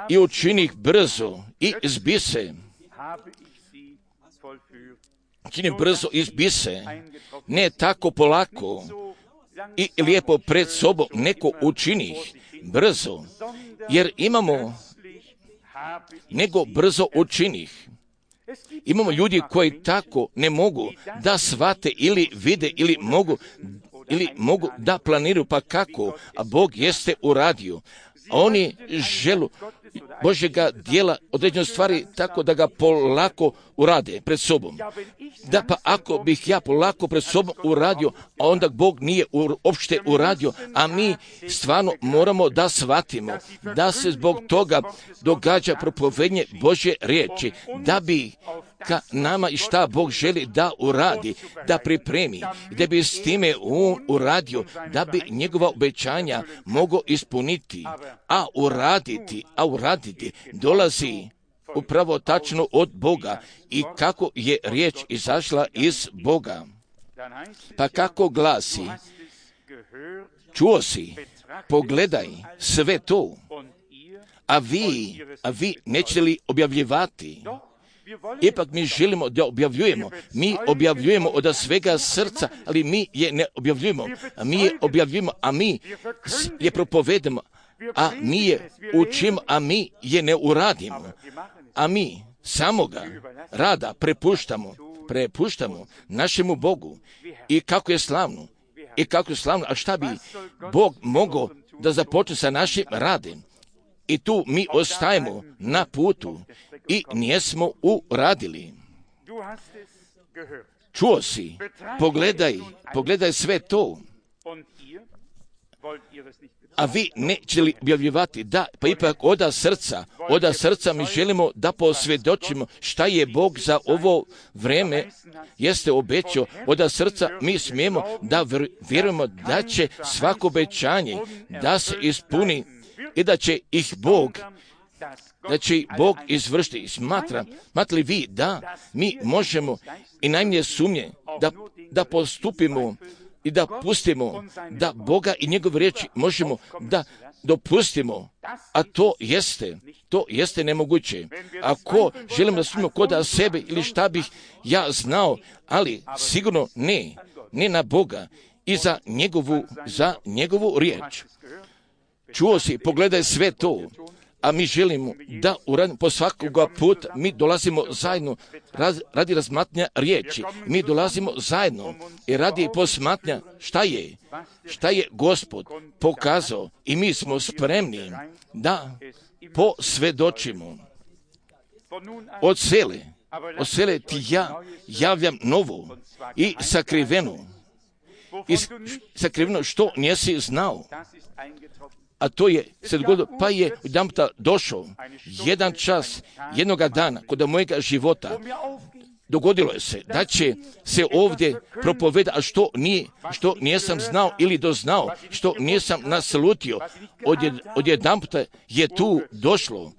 i učinih brzo i zbise. Čini brzo izbise, ne tako polako i lijepo pred sobom, neko učinih brzo, jer nego brzo učinih. Imamo ljudi koji tako ne mogu da shvate ili vide ili mogu da planiraju, pa kako, a Bog jeste uradio. A oni želu Božjega dijela određene stvari tako da ga polako urade pred sobom. Da, pa ako bih ja polako pred sobom uradio, a onda Bog nije uopšte uradio, a mi stvarno moramo da shvatimo da se zbog toga događa propovednje Božje riječi, da bi ka nama i šta Bog želi da uradi, da pripremi, da bi s time on uradio, da bi njegova obećanja mogao ispuniti, a uraditi dolazi upravo tačno od Boga i kako je riječ izašla iz Boga. Pa kako glasi, čuo si, pogledaj sve to, a vi nećete li objavljivati? Ipak mi želimo da objavljujemo. Mi objavljujemo od svega srca, ali mi je ne objavljujemo. A mi je propovedamo, a mi je učimo, a mi je ne uradimo. A mi samoga rada prepuštamo našemu Bogu. I kako je slavno. A šta bi Bog mogao da započne sa našim radem? I tu mi ostajemo na putu i nijesmo uradili. Čuo si, pogledaj sve to. A vi neće li objavljivati? Da, pa ipak od srca mi želimo da posvjedočimo šta je Bog za ovo vreme jeste obećao. Od srca mi smijemo da vjerujemo da će svako obećanje da se ispuni i da će ih Bog izvršiti. Smatrali vi da mi možemo i najmanje sumnje da postupimo i da pustimo da Boga i njegove riječi možemo da dopustimo, a to jeste nemoguće. Ako želimo da sumnjamo kod sebe ili šta bih ja znao, ali sigurno ne na Boga i za njegovu riječ. Čuo si, pogledaj sve to, a mi želimo da uradimo po svakoga puta, mi dolazimo zajedno radi razmatranja riječi, mi dolazimo zajedno i radi posmatranja šta je Gospod pokazao i mi smo spremni da posvjedočimo. Od sele ti ja javljam novo i sakriveno što nisi znao. A to je se dogodilo, pa je jedanputa došao jedan čas, jednoga dana, kod mojega života, dogodilo je se da će se ovdje propovedati, a što nisam znao ili doznao, što nisam naslutio, odjedanputa je tu došlo.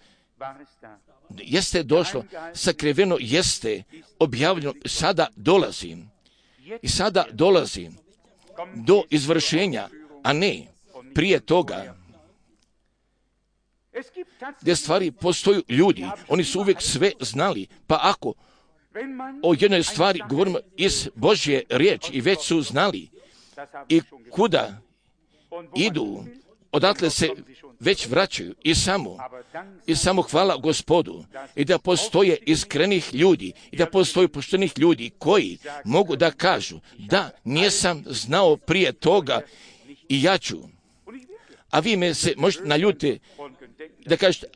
Jeste došlo, sakriveno jeste objavljeno, sada dolazi do izvršenja, a ne prije toga. Gdje stvari postoju ljudi, oni su uvijek sve znali, pa ako o jednoj stvari govorimo iz Božje riječi i već su znali i kuda idu, odatle se već vraćaju i samo hvala Gospodu i da postoje iskrenih ljudi i da postoje poštenih ljudi koji mogu da kažu da nisam znao prije toga i ja ću. A vi me se možete naljutiti da kažete,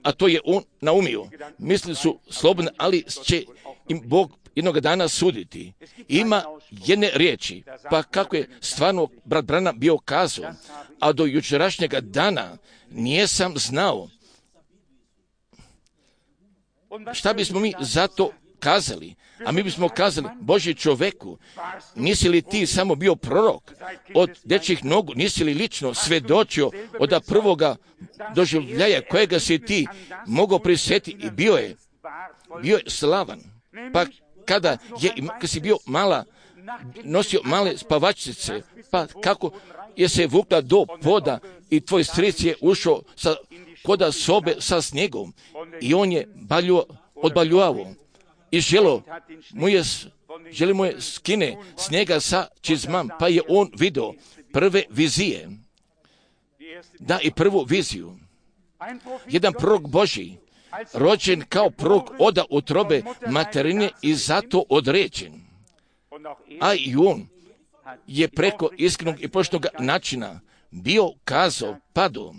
a to je on naumio. Misli su slobodni, ali će im Bog jednog dana suditi. Ima jedne riječi, pa kako je stvarno brat Branham bio kazao, a do jučerašnjega dana nisam znao. Šta bismo mi zato kazali? A mi bismo kazali, Božji čoveku, nisi li ti samo bio prorok od dečjih nogu, nisi li lično svjedočio od prvoga doživljaja kojega si ti mogao prisjetiti i bio je slavan. Pa kad si bio nosio male spavačice, pa kako je se vukla do poda i tvoj stric je ušao koda sobe sa snijegom i on je odbaljuvao. I želi mu je skine snijega sa čizmam, pa je on vidio prve vizije. Da, i prvu viziju. Jedan prorok Božji rođen kao prorok oda utrobe materine i zato određen. A i on je preko iskrenog i poštenog načina bio kazao padu.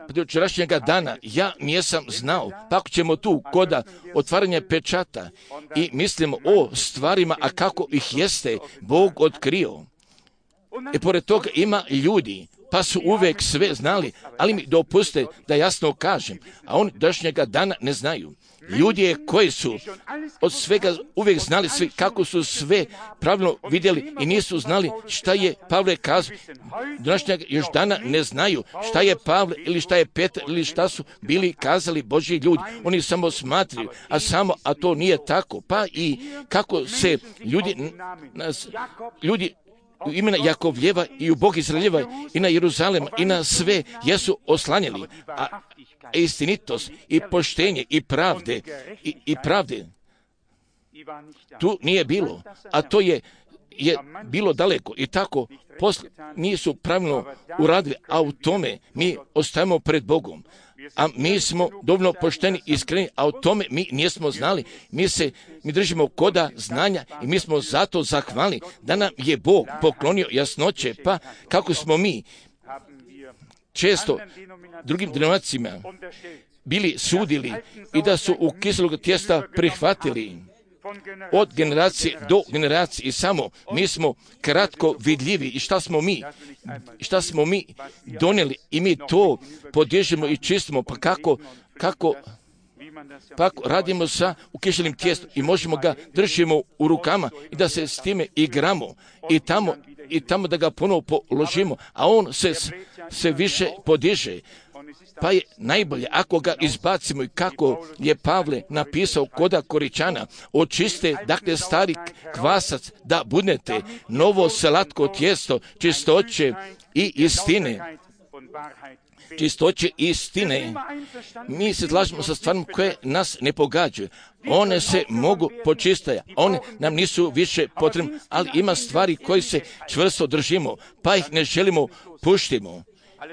Do včerašnjega dana ja nisam znao, pa ako ćemo tu koda otvaranja pečata i mislimo o stvarima, a kako ih jeste Bog otkrio. I pored toga ima ljudi, pa su uvijek sve znali, ali mi dopuste da jasno kažem, a oni današnjega dana ne znaju. Ljudi koji su od svega uvijek znali sve, kako su sve pravilno vidjeli i nisu znali šta je Pavle kazao. Današnjega još dana ne znaju šta je Pavle ili šta je Petar ili šta su bili kazali Božji ljudi. Oni samo smatraju, a to nije tako. Pa i kako se ljudi u imena Jakovljeva i u Bog Izraeljeva i na Jeruzalem i na sve jesu oslanjali, a istinitost i poštenje i pravde tu nije bilo, a to je bilo daleko i tako poslije nisu pravilno uradili, a u tome mi ostajemo pred Bogom. A mi smo dovoljno pošteni i iskreni, a o tome mi nismo znali. Mi držimo koda znanja i mi smo zato zahvalni da nam je Bog poklonio jasnoće, pa kako smo mi često drugim denominacijama bili sudili i da su u kiselog tijesta prihvatili od generacije do generacije i samo mi smo kratko vidljivi i šta smo mi donijeli i mi to podižemo i čistimo, pa kako radimo sa ukišenim tijestom i možemo ga držimo u rukama i da se s time igramo i tamo da ga ponovo položimo, a on se više podiže. Pa je najbolje ako ga izbacimo i kako je Pavle napisao koda Koričana, očiste, dakle, stari kvasac da budete novo slatko tijesto čistoće i istine. Čistoće i istine. Mi se slažemo sa stvarima koje nas ne pogađaju. One se mogu počistiti, one nam nisu više potrebne, ali ima stvari koje se čvrsto držimo, pa ih ne želimo puštimo.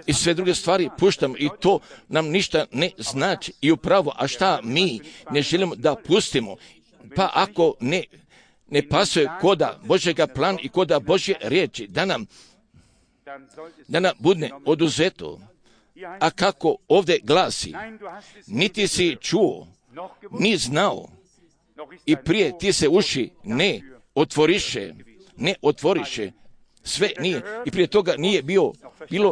I sve druge stvari puštamo i to nam ništa ne znači i upravo, a šta mi ne želimo da pustimo, pa ako ne pasuje koda Božjega plana i koda Božje riječi, da nam bude oduzeto. A kako ovdje glasi, niti si čuo, ni znao i prije ti se uši ne otvoriše, sve nije. I prije toga nije bilo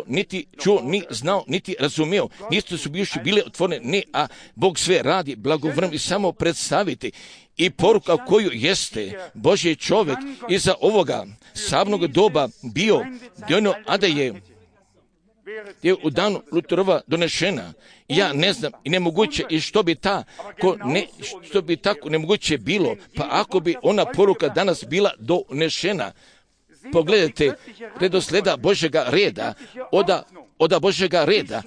niti čuo, ni znao, niti razumio. Nisu su bivši bile otvorene, ne, a Bog sve radi blagovremeno i samo predstaviti. I poruka koju jeste Božji čovjek iza ovoga savnog doba bio, dojno, a da je u danu Luterova donešena. Ja ne znam i nemoguće i što bi tako nemoguće bilo, pa ako bi ona poruka danas bila donešena. Pogledajte redosleda Božjega reda, oda Božjega reda,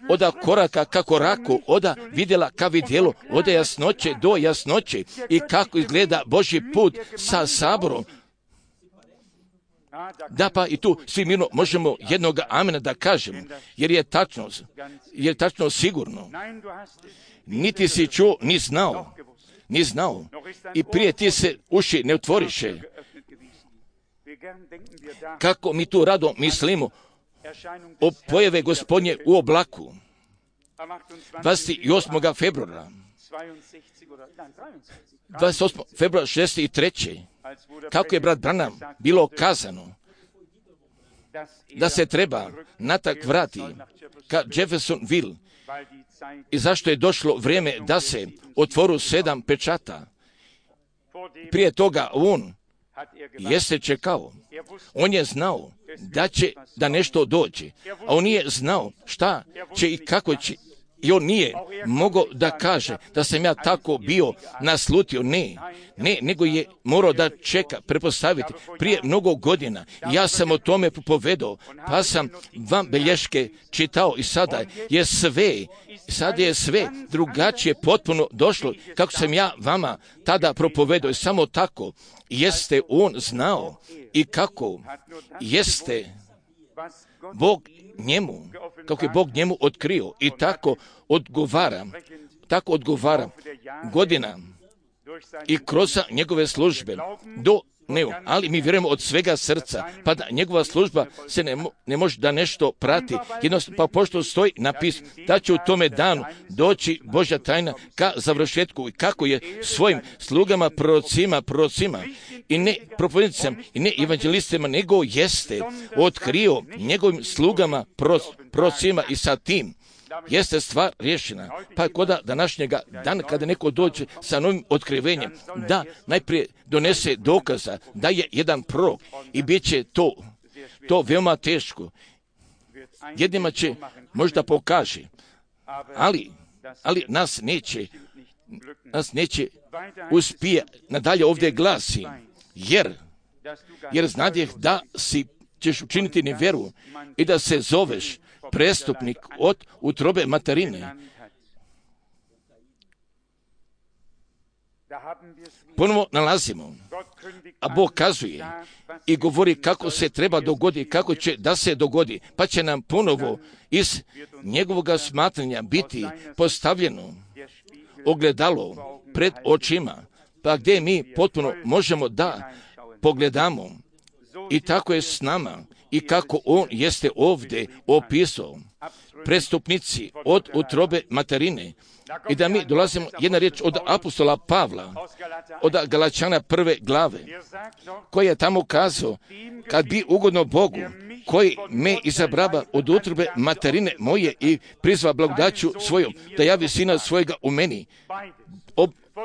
oda koraka ka koraku, oda vidjela ka vidjelu, oda jasnoće do jasnoće i kako izgleda Božji put sa saborom. Da, pa i tu svi mirno možemo jednoga amena da kažemo, jer je tačno sigurno. Niti si čuo, ni znao i prije ti se uši ne otvoriše. Kako mi tu rado mislimo o pojave Gospodnje u oblaku 28. februara 63. Kako je brat Branham bilo kazano da se treba natrag vrati ka Jeffersonville i zašto je došlo vrijeme da se otvoru 7 pečata. Prije toga on jeste čekao. On je znao da nešto dođe, a on nije znao šta će i kako će. I on nije mogao da kaže da sam ja tako bio naslutio. Ne, nego je morao da čeka, prepostaviti prije mnogo godina. Ja sam o tome povedao, pa sam vam belješke čitao i sada je sve drugačije potpuno došlo kako sam ja vama tada propovedao i samo tako jeste on znao i kako jeste Bog Bog njemu otkrio i tako odgovara godina i kroz njegove službe ali mi vjerujemo od svega srca, pa da njegova služba se ne može da nešto prati, jednostavno pa pošto stoji napis da će u tome danu doći Božja tajna ka završetku i kako je svojim slugama, prorocima i ne propovednicima i ne evanđelistima, nego jeste otkrio njegovim slugama, prorocima i sa tim jeste stvar riješena. Pa kod današnjega dana kada neko dođe sa novim otkrivenjem, da najprije donese dokaza da je jedan prorok i bit će to veoma teško. Jednima će možda pokaže, ali nas neće uspije nadalje ovdje glasi, jer znadjeh da ćeš učiniti nevjeru i da se zoveš prestupnik od utrobe materine. Ponovo nalazimo, a Bog kazuje i govori kako se treba dogoditi, kako će da se dogodi, pa će nam ponovo iz njegovog smatranja biti postavljeno ogledalo pred očima, pa gdje mi potpuno možemo da pogledamo i tako je s nama i kako on jeste ovdje opisao prestupnici od utrobe materine. I da mi dolazimo jedna riječ od apostola Pavla, od Galačana 1. glave, koji je tamo kazao, kad bi ugodno Bogu, koji me izabrava od utrobe materine moje i prizva blagodaću svojom, da javi sina svojega u meni.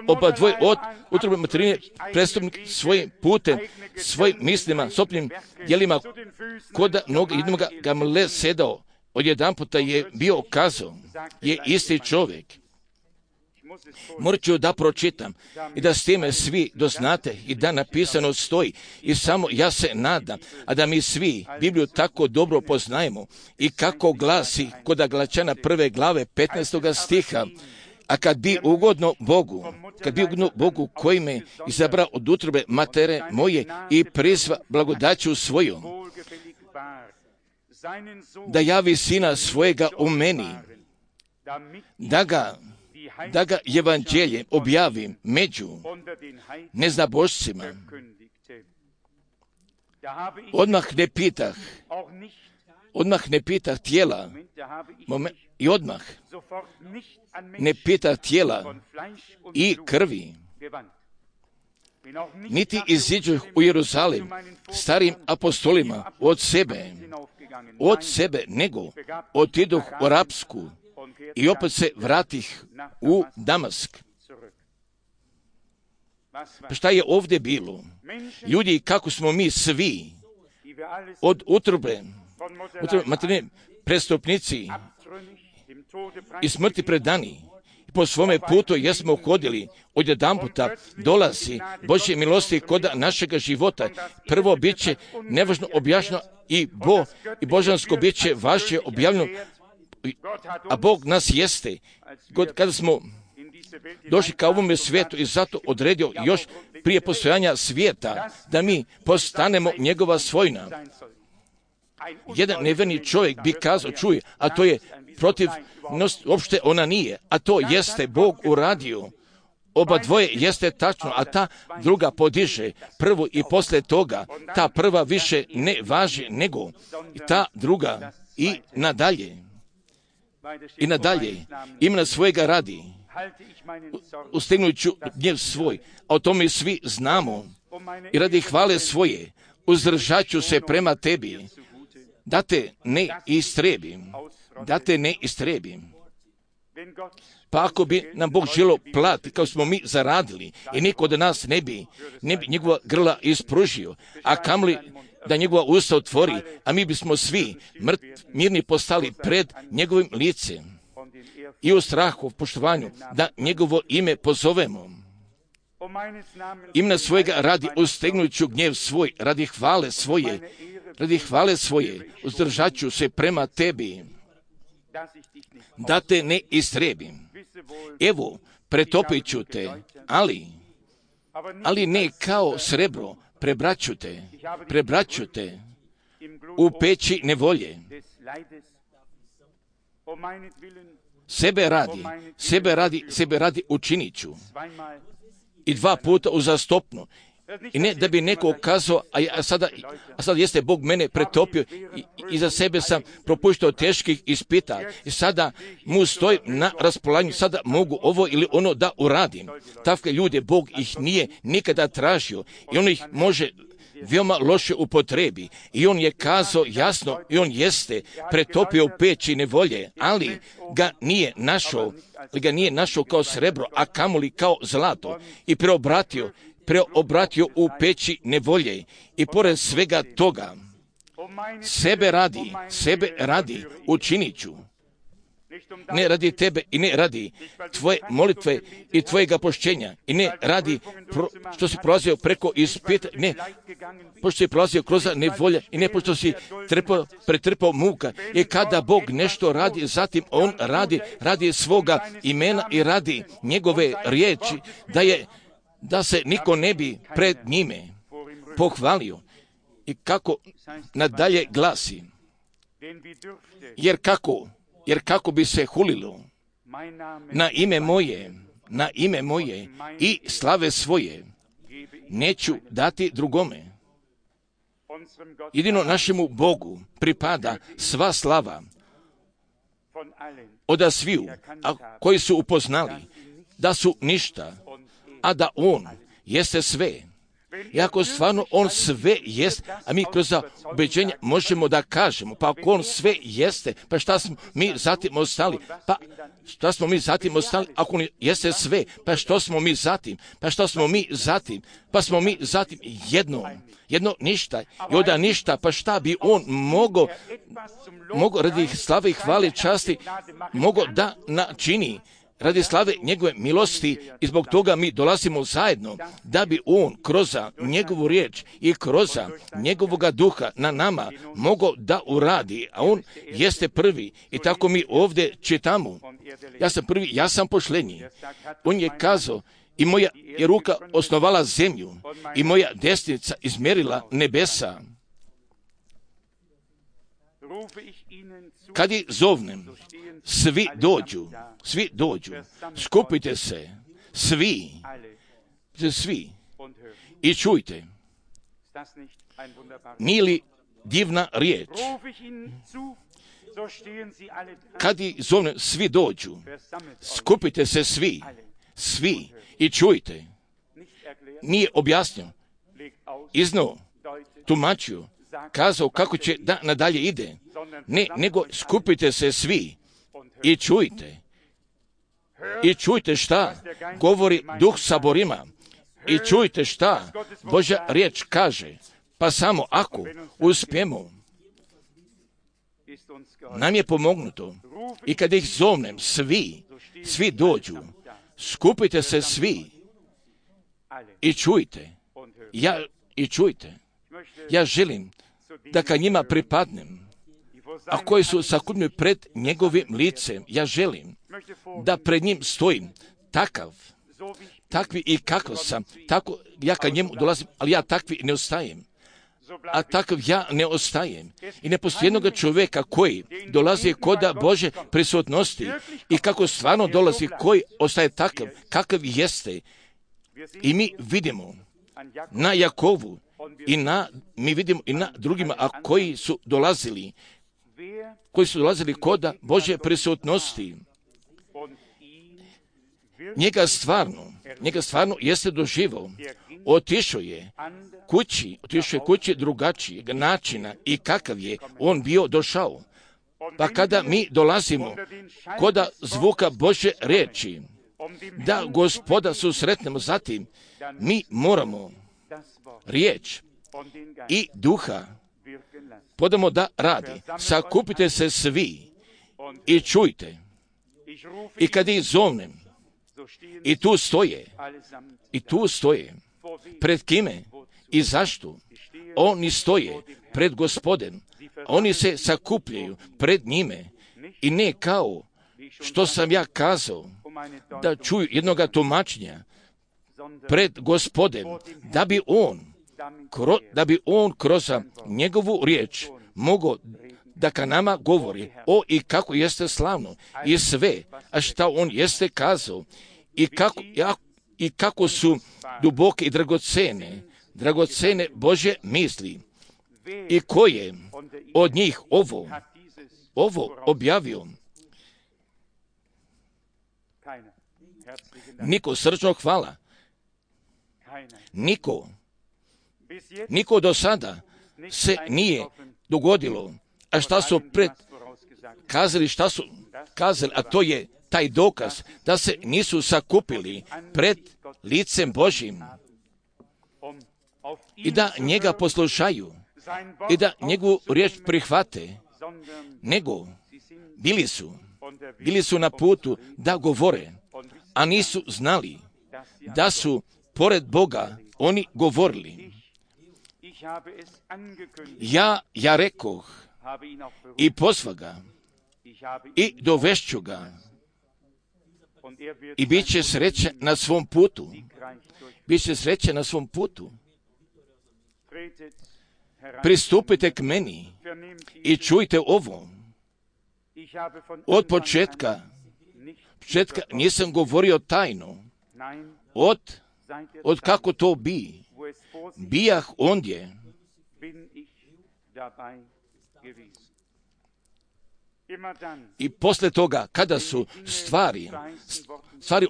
Oba dvoje od utrobe materine prestupnik svojim putem, svojim mislima, sopnim djelima, kod noga jednoga Gamle sedao, odjedanputa je bio kazao, je isti čovjek. Morat ću da pročitam i da s time svi doznate i da napisano stoji i samo ja se nadam, a da mi svi Bibliju tako dobro poznajemo i kako glasi kod Galačana 1. glave 15. stiha, a kad bi ugodno Bogu koji me izabrao od utrobe matere moje i prizva blagodaću svojom, da javi sina svojega u meni, da ga evanđelje objavim među neznabošcima. Odmah ne pitah tijela i odmah ne pitah tijela i krvi, niti iziđu u Jerusalim starim apostolima od sebe, nego otiduh u Arapsku i opet se vratih u Damask. Pa šta je ovdje bilo? Ljudi, kako smo mi svi od utrobe materine prestupnici i smrti predani. Po svome putu jesmo hodili, odjedanputa dolazi Božje milosti kod našega života. Prvo bit će nevažno objašnjeno i božansko bit će vaše objavljeno, a Bog nas jeste. Kada smo došli ka ovome svijetu i zato odredio još prije postojanja svijeta da mi postanemo njegova svojina. Jedan nevjerni čovjek bi kazao, čuje, a to je protiv, uopšte ona nije, a to jeste Bog uradio. Oba dvoje jeste tačno, a ta druga podiže prvu i poslije toga ta prva više ne važi nego ta druga i nadalje. I nadalje imena svojega radi, ustegnuću gnjev svoj, a o tome svi znamo, i radi hvale svoje uzdržat ću se prema tebi, da te ne istrebim. Pa ako bi nam Bog želio plati kao smo mi zaradili i niko od nas ne bi njegova grla ispružio, a kamli da njegova usta otvori, a mi bismo svi mirni postali pred njegovim licem i u strahu, poštovanju, da njegovo ime pozovemo. Imena svojega radi ustegnuću gnjev svoj, radi hvale svoje, uzdržat ću se prema tebi, da te ne istrebim. Evo, pretopit ću te, ali ne kao srebro, prebraću te u peći nevolje. sebe radi učinit ću. I 2 puta uzastopno. I ne da bi neko kazao, a sada jeste Bog mene pretopio i za sebe sam propuštao teških ispita i sada mu stoji na raspolaganju, sada mogu ovo ili ono da uradim. Takve ljude Bog ih nije nikada tražio i on ih može veoma loše upotrebi. I on je kazao jasno i on jeste pretopio u peći nevolje, ali ga nije našao kao srebro, a kamoli kao zlato i preobratio u peći nevolje. I pored svega toga, sebe radi učinit ću. Ne radi tebe i ne radi tvoje molitve i tvojega pošćenja i ne radi što si prolazio preko ispita, ne, pošto si prolazio kroz nevolje i ne pošto si pretrpao muka. I kada Bog nešto radi, zatim on radi svoga imena i radi njegove riječi, da se niko ne bi pred njime pohvalio. I kako nadalje glasi, jer kako bi se hulilo na ime moje i slave svoje, neću dati drugome. Jedino našemu Bogu pripada sva slava od sviju, a koji su upoznali da su ništa, a da on jeste sve. I ako stvarno on sve jest, a mi kroz ubeđenje možemo da kažemo, pa ako on sve jeste, pa šta smo mi zatim ostali? Ako on jeste sve, pa što smo mi zatim? Pa smo mi zatim jedno ništa. I onda ništa, pa šta bi on mogao radi slave i hvale časti, mogao da načini radi slave njegove milosti, i zbog toga mi dolazimo zajedno da bi on kroz njegovu riječ i kroz njegovoga duha na nama mogao da uradi, a on jeste prvi. I tako mi ovdje čitamo, ja sam prvi, ja sam pošlenji. On je kazao, i moja je ruka osnovala zemlju i moja desnica izmjerila nebesa. Kad ih zovnem, svi dođu, skupite se, svi, i čujte. Nije li divna riječ? Kad ih zovnem, svi dođu, skupite se svi, i čujte. Nije objasnio, iznao, tumačio, kazao kako će da nadalje ide. Ne, nego skupite se svi i čujte. I čujte šta govori Duh saborima. I čujte šta Božja riječ kaže. Pa samo ako uspijemo, nam je pomognuto. I kad ih zovnem, svi dođu. Skupite se svi i čujte. Ja želim da ka njima pripadnem, a koji su sakupljeni pred njegovim licem. Ja želim da pred njim stojim takvi i kako sam, tako ja ka njemu dolazim, ali ja takvi ne ostajem. A takav ja ne ostajem. I ne postoji jednoga čovjeka koji dolazi kod Bože prisutnosti i kako stvarno dolazi, koji ostaje takav, kakav jeste. I mi vidimo na Jakovu mi vidimo i na drugima, a koji su dolazili kod Bože prisutnosti. Njega stvarno jeste doživao. Otišao je kući drugačijeg načina i kakav je on bio došao. Pa kada mi dolazimo kod zvuka Božje riječi, da Gospoda susretnemo, zatim mi moramo riječ i duha podamo da radi. Sakupite se svi i čujte. I kad ih zovnem, i tu stoje. Pred kime i zašto? Oni stoje pred Gospodem. Oni se sakupljaju pred njime. I ne kao što sam ja kazao, da čuju jednoga tumačenja pred Gospodem, da bi on kroz njegovu riječ mogao da ka nama govori, o i kako jeste slavno, i sve, a šta on jeste kazao, i kako su duboke i dragocene Božje misli, i ko je od njih ovo objavio. Niko, srčno hvala. Niko do sada se nije dogodilo. A šta su kazali, a to je taj dokaz da se nisu sakupili pred licem Božjim i da njega poslušaju i da njegovu riječ prihvate, nego bili su na putu da govore, a nisu znali da su pored Boga oni govorili. Ja rekoh i pozva ga i dovešću ga i bit će sreće na svom putu. Pristupite k meni i čujte ovo. Od početka nisam govorio tajno. Od kako to bijah ondje. I posle toga, kada su stvari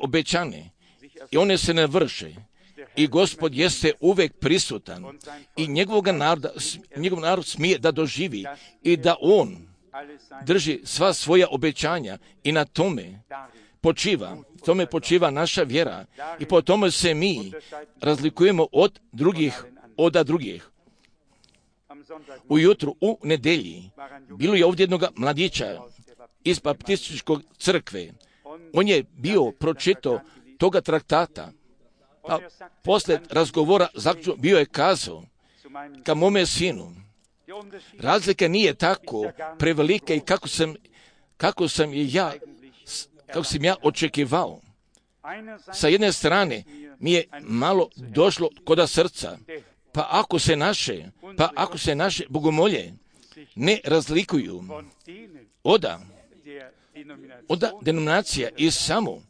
obećane i one se ne vrše, i Gospod jeste uvek prisutan i njegov narod smije da doživi i da on drži sva svoja obećanja i na tome počiva naša vjera i po tome se mi razlikujemo od drugih. Ujutru u nedelji bilo je ovdje jednog mladića iz baptističkog crkve. On je bio pročitao toga traktata, a posle razgovora zaključno bio je kazao ka mome sinu, razlika nije tako prevelika i kako sam ja očekivao. Sa jedne strane mi je malo došlo koda srca, pa ako se naše bogomolje ne razlikuju od denominacija i samo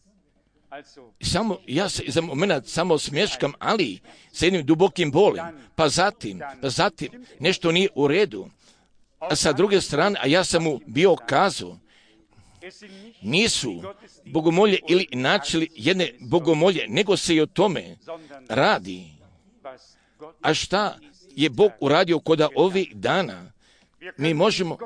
ja se za moment samo smješkam, ali sa jednim dubokim bolem, pa zatim nešto nije u redu. A sa druge strane, a ja sam mu bio kazao, nisu bogomolje ili načeli jedne bogomolje, nego se i o tome radi. A šta je Bog uradio koda ovih dana? Mi možemo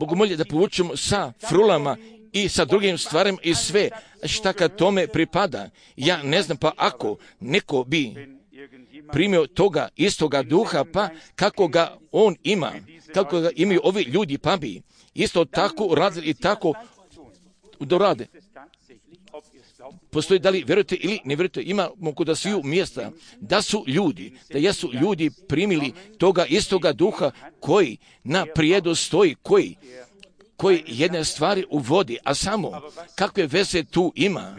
bogomolje da povučemo sa frulama i sa drugim stvarima i sve šta kad tome pripada. Ja ne znam, pa ako neko bi primio toga istoga duha, pa kako ga on ima, kako ga imaju ovi ljudi, pa bi isto tako uradili i tako dorade. Postoji da li vjerujete ili ne vjerujete, imamo kod sviju mjesta da jesu ljudi primili toga istoga duha koji na prijedu stoji, koji jedne stvari uvodi, a samo kakve veze tu ima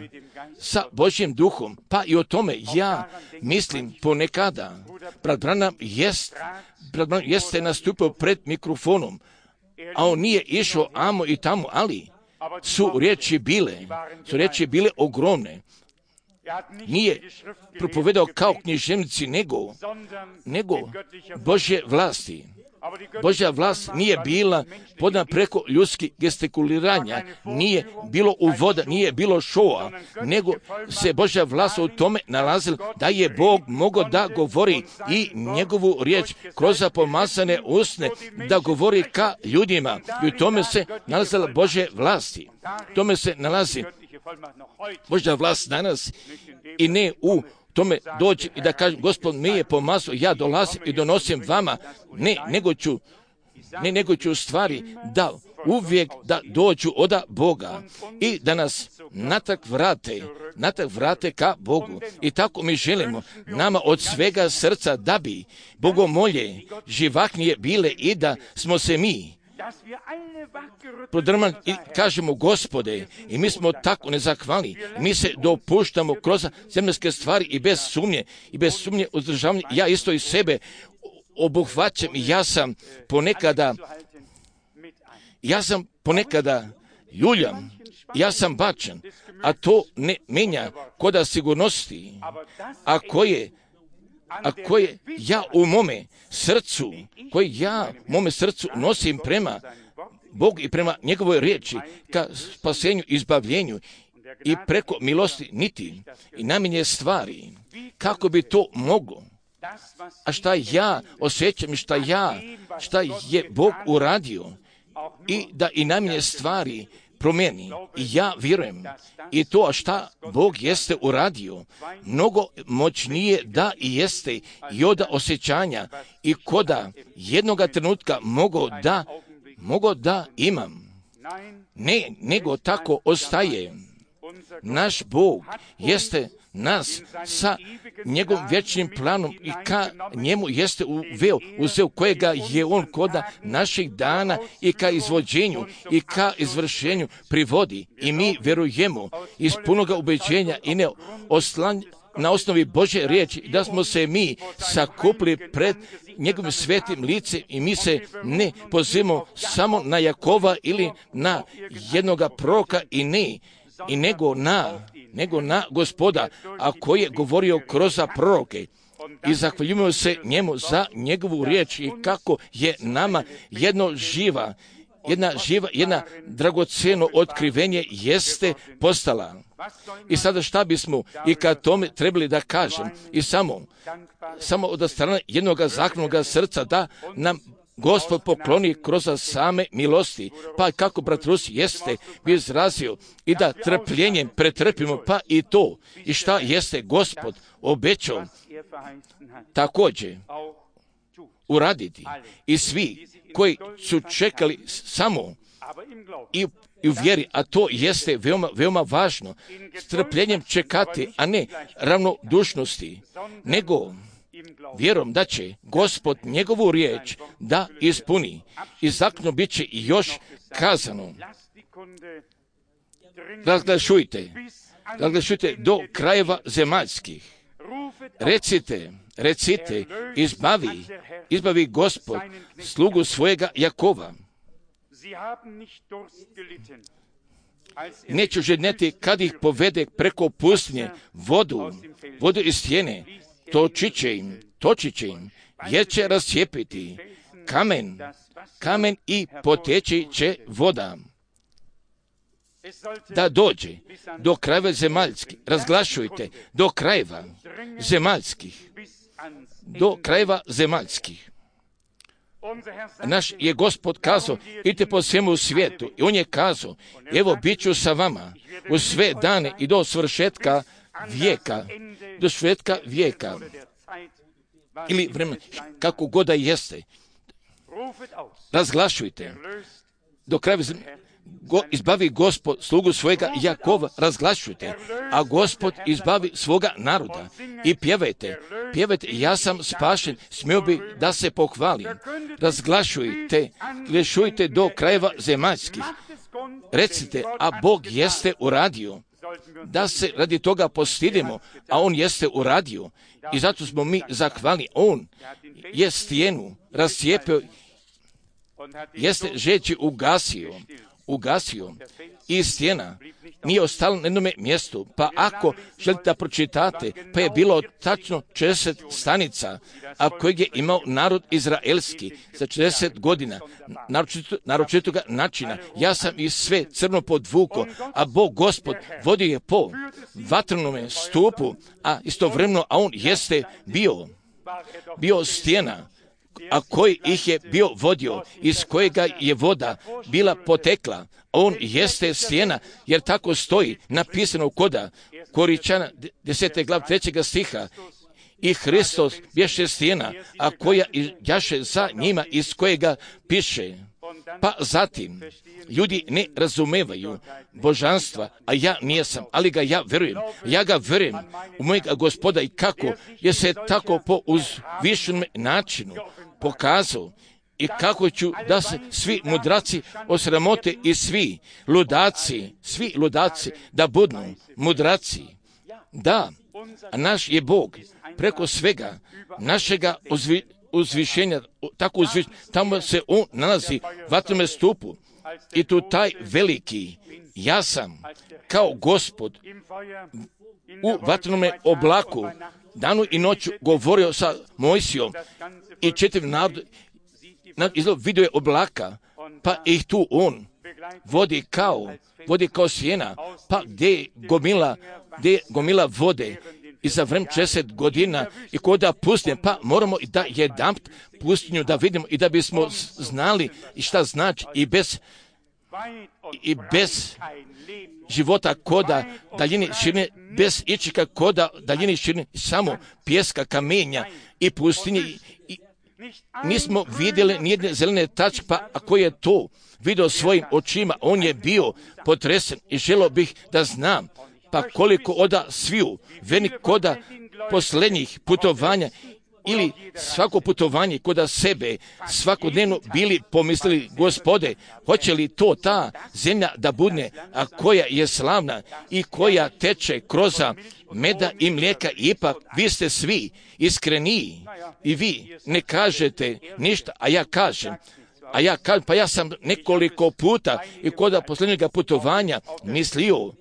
sa Božjim duhom, pa i o tome ja mislim ponekada. Brat Branham jeste nastupio pred mikrofonom, a on nije išao amo i tamo, ali su riječi bile ogromne. Nije propovedao kao književnici, nego Božje vlasti. Božja vlast nije bila podana preko ljudskih gestikuliranja, nije bilo uvoda, nije bilo šoa, nego se Božja vlast u tome nalazila da je Bog mogao da govori i njegovu riječ kroz pomazane usne, da govori ka ljudima. I u tome se nalazila Božje vlasti. U tome se nalazi Božja vlast danas i ne u tome dođi i da kažem, Gospod mi je pomazao, ja dolazim i donosim vama, nego ću stvari da uvijek da dođu od Boga i da nas natrag vrate ka Bogu. I tako mi želimo nama od svega srca da bi bogomolje živahnije bile i da smo se mi prodrmali i kažemo, Gospode, i mi smo tako nezahvalni, mi se dopuštamo kroz zemljske stvari i bez sumnje uzdržavanje. Ja isto i sebe obuhvaćam i ja sam ponekada Ja sam ponekada ljuljam, ja sam bačan, a to ne menja koda sigurnosti, a koje ja u mome srcu, nosim prema Bogu i prema njegovoj riječi, ka spasenju, izbavljenju i preko milosti niti i namenje stvari. Kako bi to moglo? A šta ja osjećam i šta je Bog uradio i da i namenje stvari promijeni. I ja vjerujem i to šta Bog jeste uradio, mnogo moćnije da i jeste i od osjećanja i koda jednoga trenutka mogo da imam. Ne, nego tako ostaje. Naš Bog jeste nas sa njegovim vječnim planom i ka njemu jeste uzeo kojega je on koda naših dana i ka izvođenju i ka izvršenju privodi. I mi vjerujemo iz punoga ubeđenja i ne na osnovi Božje riječi da smo se mi sakupili pred njegovim svetim licem i mi se ne pozivamo samo na Jakova ili na jednoga proroka nego na Gospoda, a koji je govorio kroz proroke. I zahvaljujemo se njemu za njegovu riječ i kako je nama jedna dragocjeno otkrivenje jeste postala. I sada šta bismo i kad tome trebali da kažem i samo od strane jednog zahvalnog srca da nam Gospod pokloni kroz same milosti, pa kako brat Rus jeste bi izrazio i da trpljenjem pretrpimo pa i to i šta jeste Gospod obećao također uraditi. I svi koji su čekali samo i u vjeri, a to jeste veoma, veoma važno, s trpljenjem čekati, a ne ravnodušnosti, nego vjerom da će Gospod njegovu riječ da ispuni. I zaključno bit će još kazano. Razglašujte do krajeva zemaljskih. Recite, izbavi Gospod slugu svojega Jakova. Neću žedneti kad ih povede preko pustinje vodu iz stijene, točit će im, jer će rascijepiti kamen i poteći će voda. Da dođe do krajeva zemaljskih, razglašujte, do krajeva zemaljskih. Naš je Gospod kazao, idite po svemu svijetu. I on je kazao, evo bit ću sa vama u sve dane i do svršetka vijeka. Ili vremena, kako god da jeste. Razglašujte. Do kraja izbavi Gospod slugu svojega Jakova, razglašujte, a Gospod izbavi svoga naroda. I pjevajte, ja sam spašen, smio bi da se pohvalim. Razglašujte do krajeva zemaljskih. Recite, a Bog jeste uradio. Da se radi toga postidimo, a on jeste uradio. I zato smo mi zahvalni. On je stijenu rascijepio, jeste žeći ugasio i stijena nije ostala na jednome mjestu. Pa ako želite da pročitate, pa je bilo tačno 40 stanica, a kojeg je imao narod izraelski za 40 godina, naročitoga načina. Ja sam i sve crno podvuko, a Bog Gospod vodio je po vatrenome stupu, a istovremeno, a on jeste bio stijena, a koji ih je bio vodio, iz kojega je voda bila potekla. On jeste stijena, jer tako stoji napisano koda Koričana 10. glav 3. stiha. I Hristos bješe stijena, a koja jaše za njima, iz kojega piše. Pa zatim, ljudi ne razumevaju božanstva, a ja nijesam, ali ga ja verujem. Ja ga verujem u mojega Gospoda i kako je se tako po uzvišenom načinu pokazao i kako ću da se svi mudraci osramote i svi ludaci da budu mudraci. Da, a naš je Bog preko svega našega uzvišenja, tako uzvišenja, tamo se on nalazi u vatrenome stupu I tu taj veliki, ja sam kao Gospod u vatrenome oblaku danu i noću govorio sa Mojsijom i čitav narod vidio je oblaka, pa ih tu on vodi kao sjena, pa gdje je gomila vode i za vreme 60 godina i koda pustinje, pa moramo i da jedanput pustinju da vidimo i da bismo znali i šta znači i bez života koda daljini širine, bez ičega koda daljini širine, samo pjeska, kamenja i pustinje. Nismo vidjeli nijedne zelene tačke, pa ako je to vidio svojim očima, on je bio potresen i želio bih da znam, pa koliko oda sviju, vernik koda posljednjih putovanja ili svako putovanje koda sebe svakodnevno bili pomislili, Gospode, hoće li to ta zemlja da bude, a koja je slavna i koja teče kroz meda i mlijeka, ipak vi ste svi iskreniji i vi ne kažete ništa, a ja kažem, pa ja sam nekoliko puta i koda posljednjega putovanja mislio,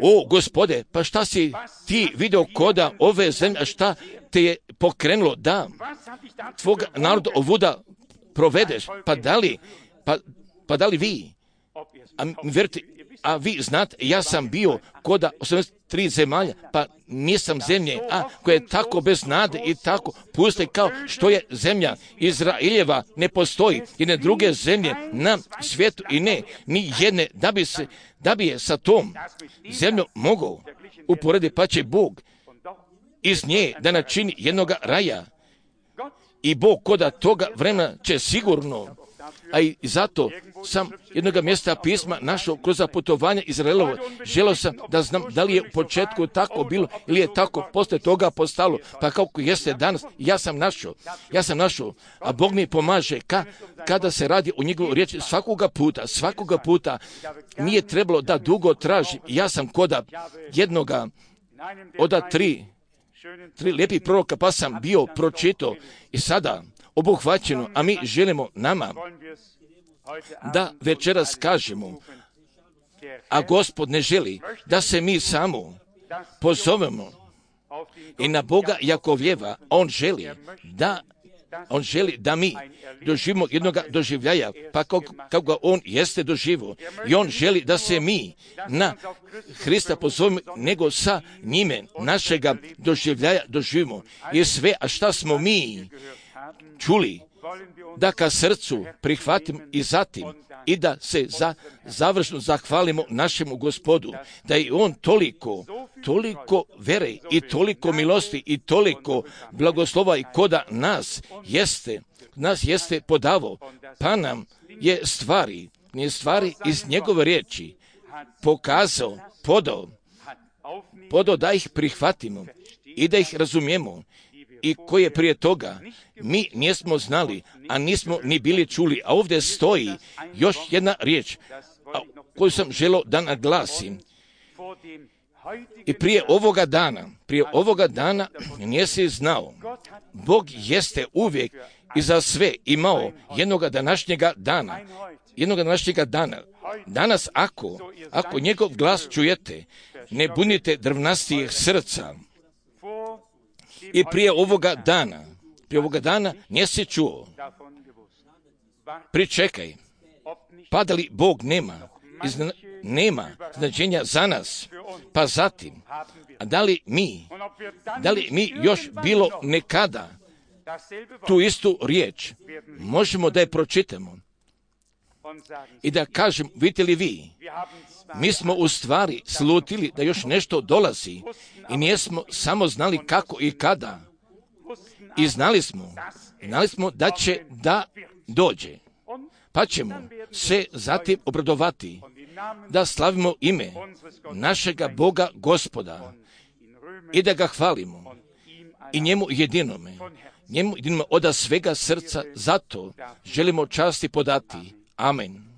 o Gospode, pa šta si ti vidio koda ove zemlje, a šta te je pokrenulo da tvog naroda ovuda provedeš, pa da li vi, a vi znate, ja sam bio koda 83 zemalja, pa nisam zemlje, koja je tako bez nade i tako puste kao što je zemlja Izraeljeva, ne postoji jedne druge zemlje na svijetu i ni jedne da bi je sa tom zemljom mogao uporediti, pa će Bog iz nje da načini jednoga raja i Bog koda toga vremena će sigurno, a i zato sam jednoga mjesta pisma našao kroz putovanje Izraelovo. Želio sam da znam da li je u početku tako bilo ili je tako poslije toga postalo, pa kako jeste danas. Ja sam našao, a Bog mi pomaže kada se radi o njegovu riječi svakoga puta nije trebalo da dugo tražim. Ja sam koda jednoga od tri lijepih proroka, pa sam bio pročitao i sada obuhvaćeno, a mi želimo nama da večeras kažemo, a Gospod ne želi da se mi samo pozovemo i na Boga Jakovljeva. On želi da mi doživimo jednoga doživljaja, pa kako ga on jeste doživio. I on želi da se mi na Hrista pozovemo, nego sa njime našega doživljaja doživimo. I sve, a šta smo mi čuli, da ka srcu prihvatimo i zatim i da se završno zahvalimo našemu Gospodu, da je on toliko vere i toliko milosti i toliko blagoslova i koda nas jeste podavo, pa nam je stvari iz njegove riječi pokazao, podao da ih prihvatimo i da ih razumijemo, i koje prije toga mi nismo znali, a nismo ni bili čuli. A ovdje stoji još jedna riječ koju sam želio da naglasim. I prije ovoga dana nisi znao. Bog jeste uvijek i za sve imao jednoga današnjega dana. Danas ako njegov glas čujete, ne bunite drvnastijih srca. I prije ovoga dana nisi čuo. Pričekaj, pa da li Bog nema značenja za nas, pa zatim, a da li mi još bilo nekada tu istu riječ možemo da je pročitamo i da kažem, vidite li vi, mi smo u stvari slutili da još nešto dolazi i nismo samo znali kako i kada. I znali smo da će da dođe. Pa ćemo se zatim obradovati da slavimo ime našega Boga Gospoda i da ga hvalimo i njemu jedinome od svega srca, zato želimo časti podati. Amen.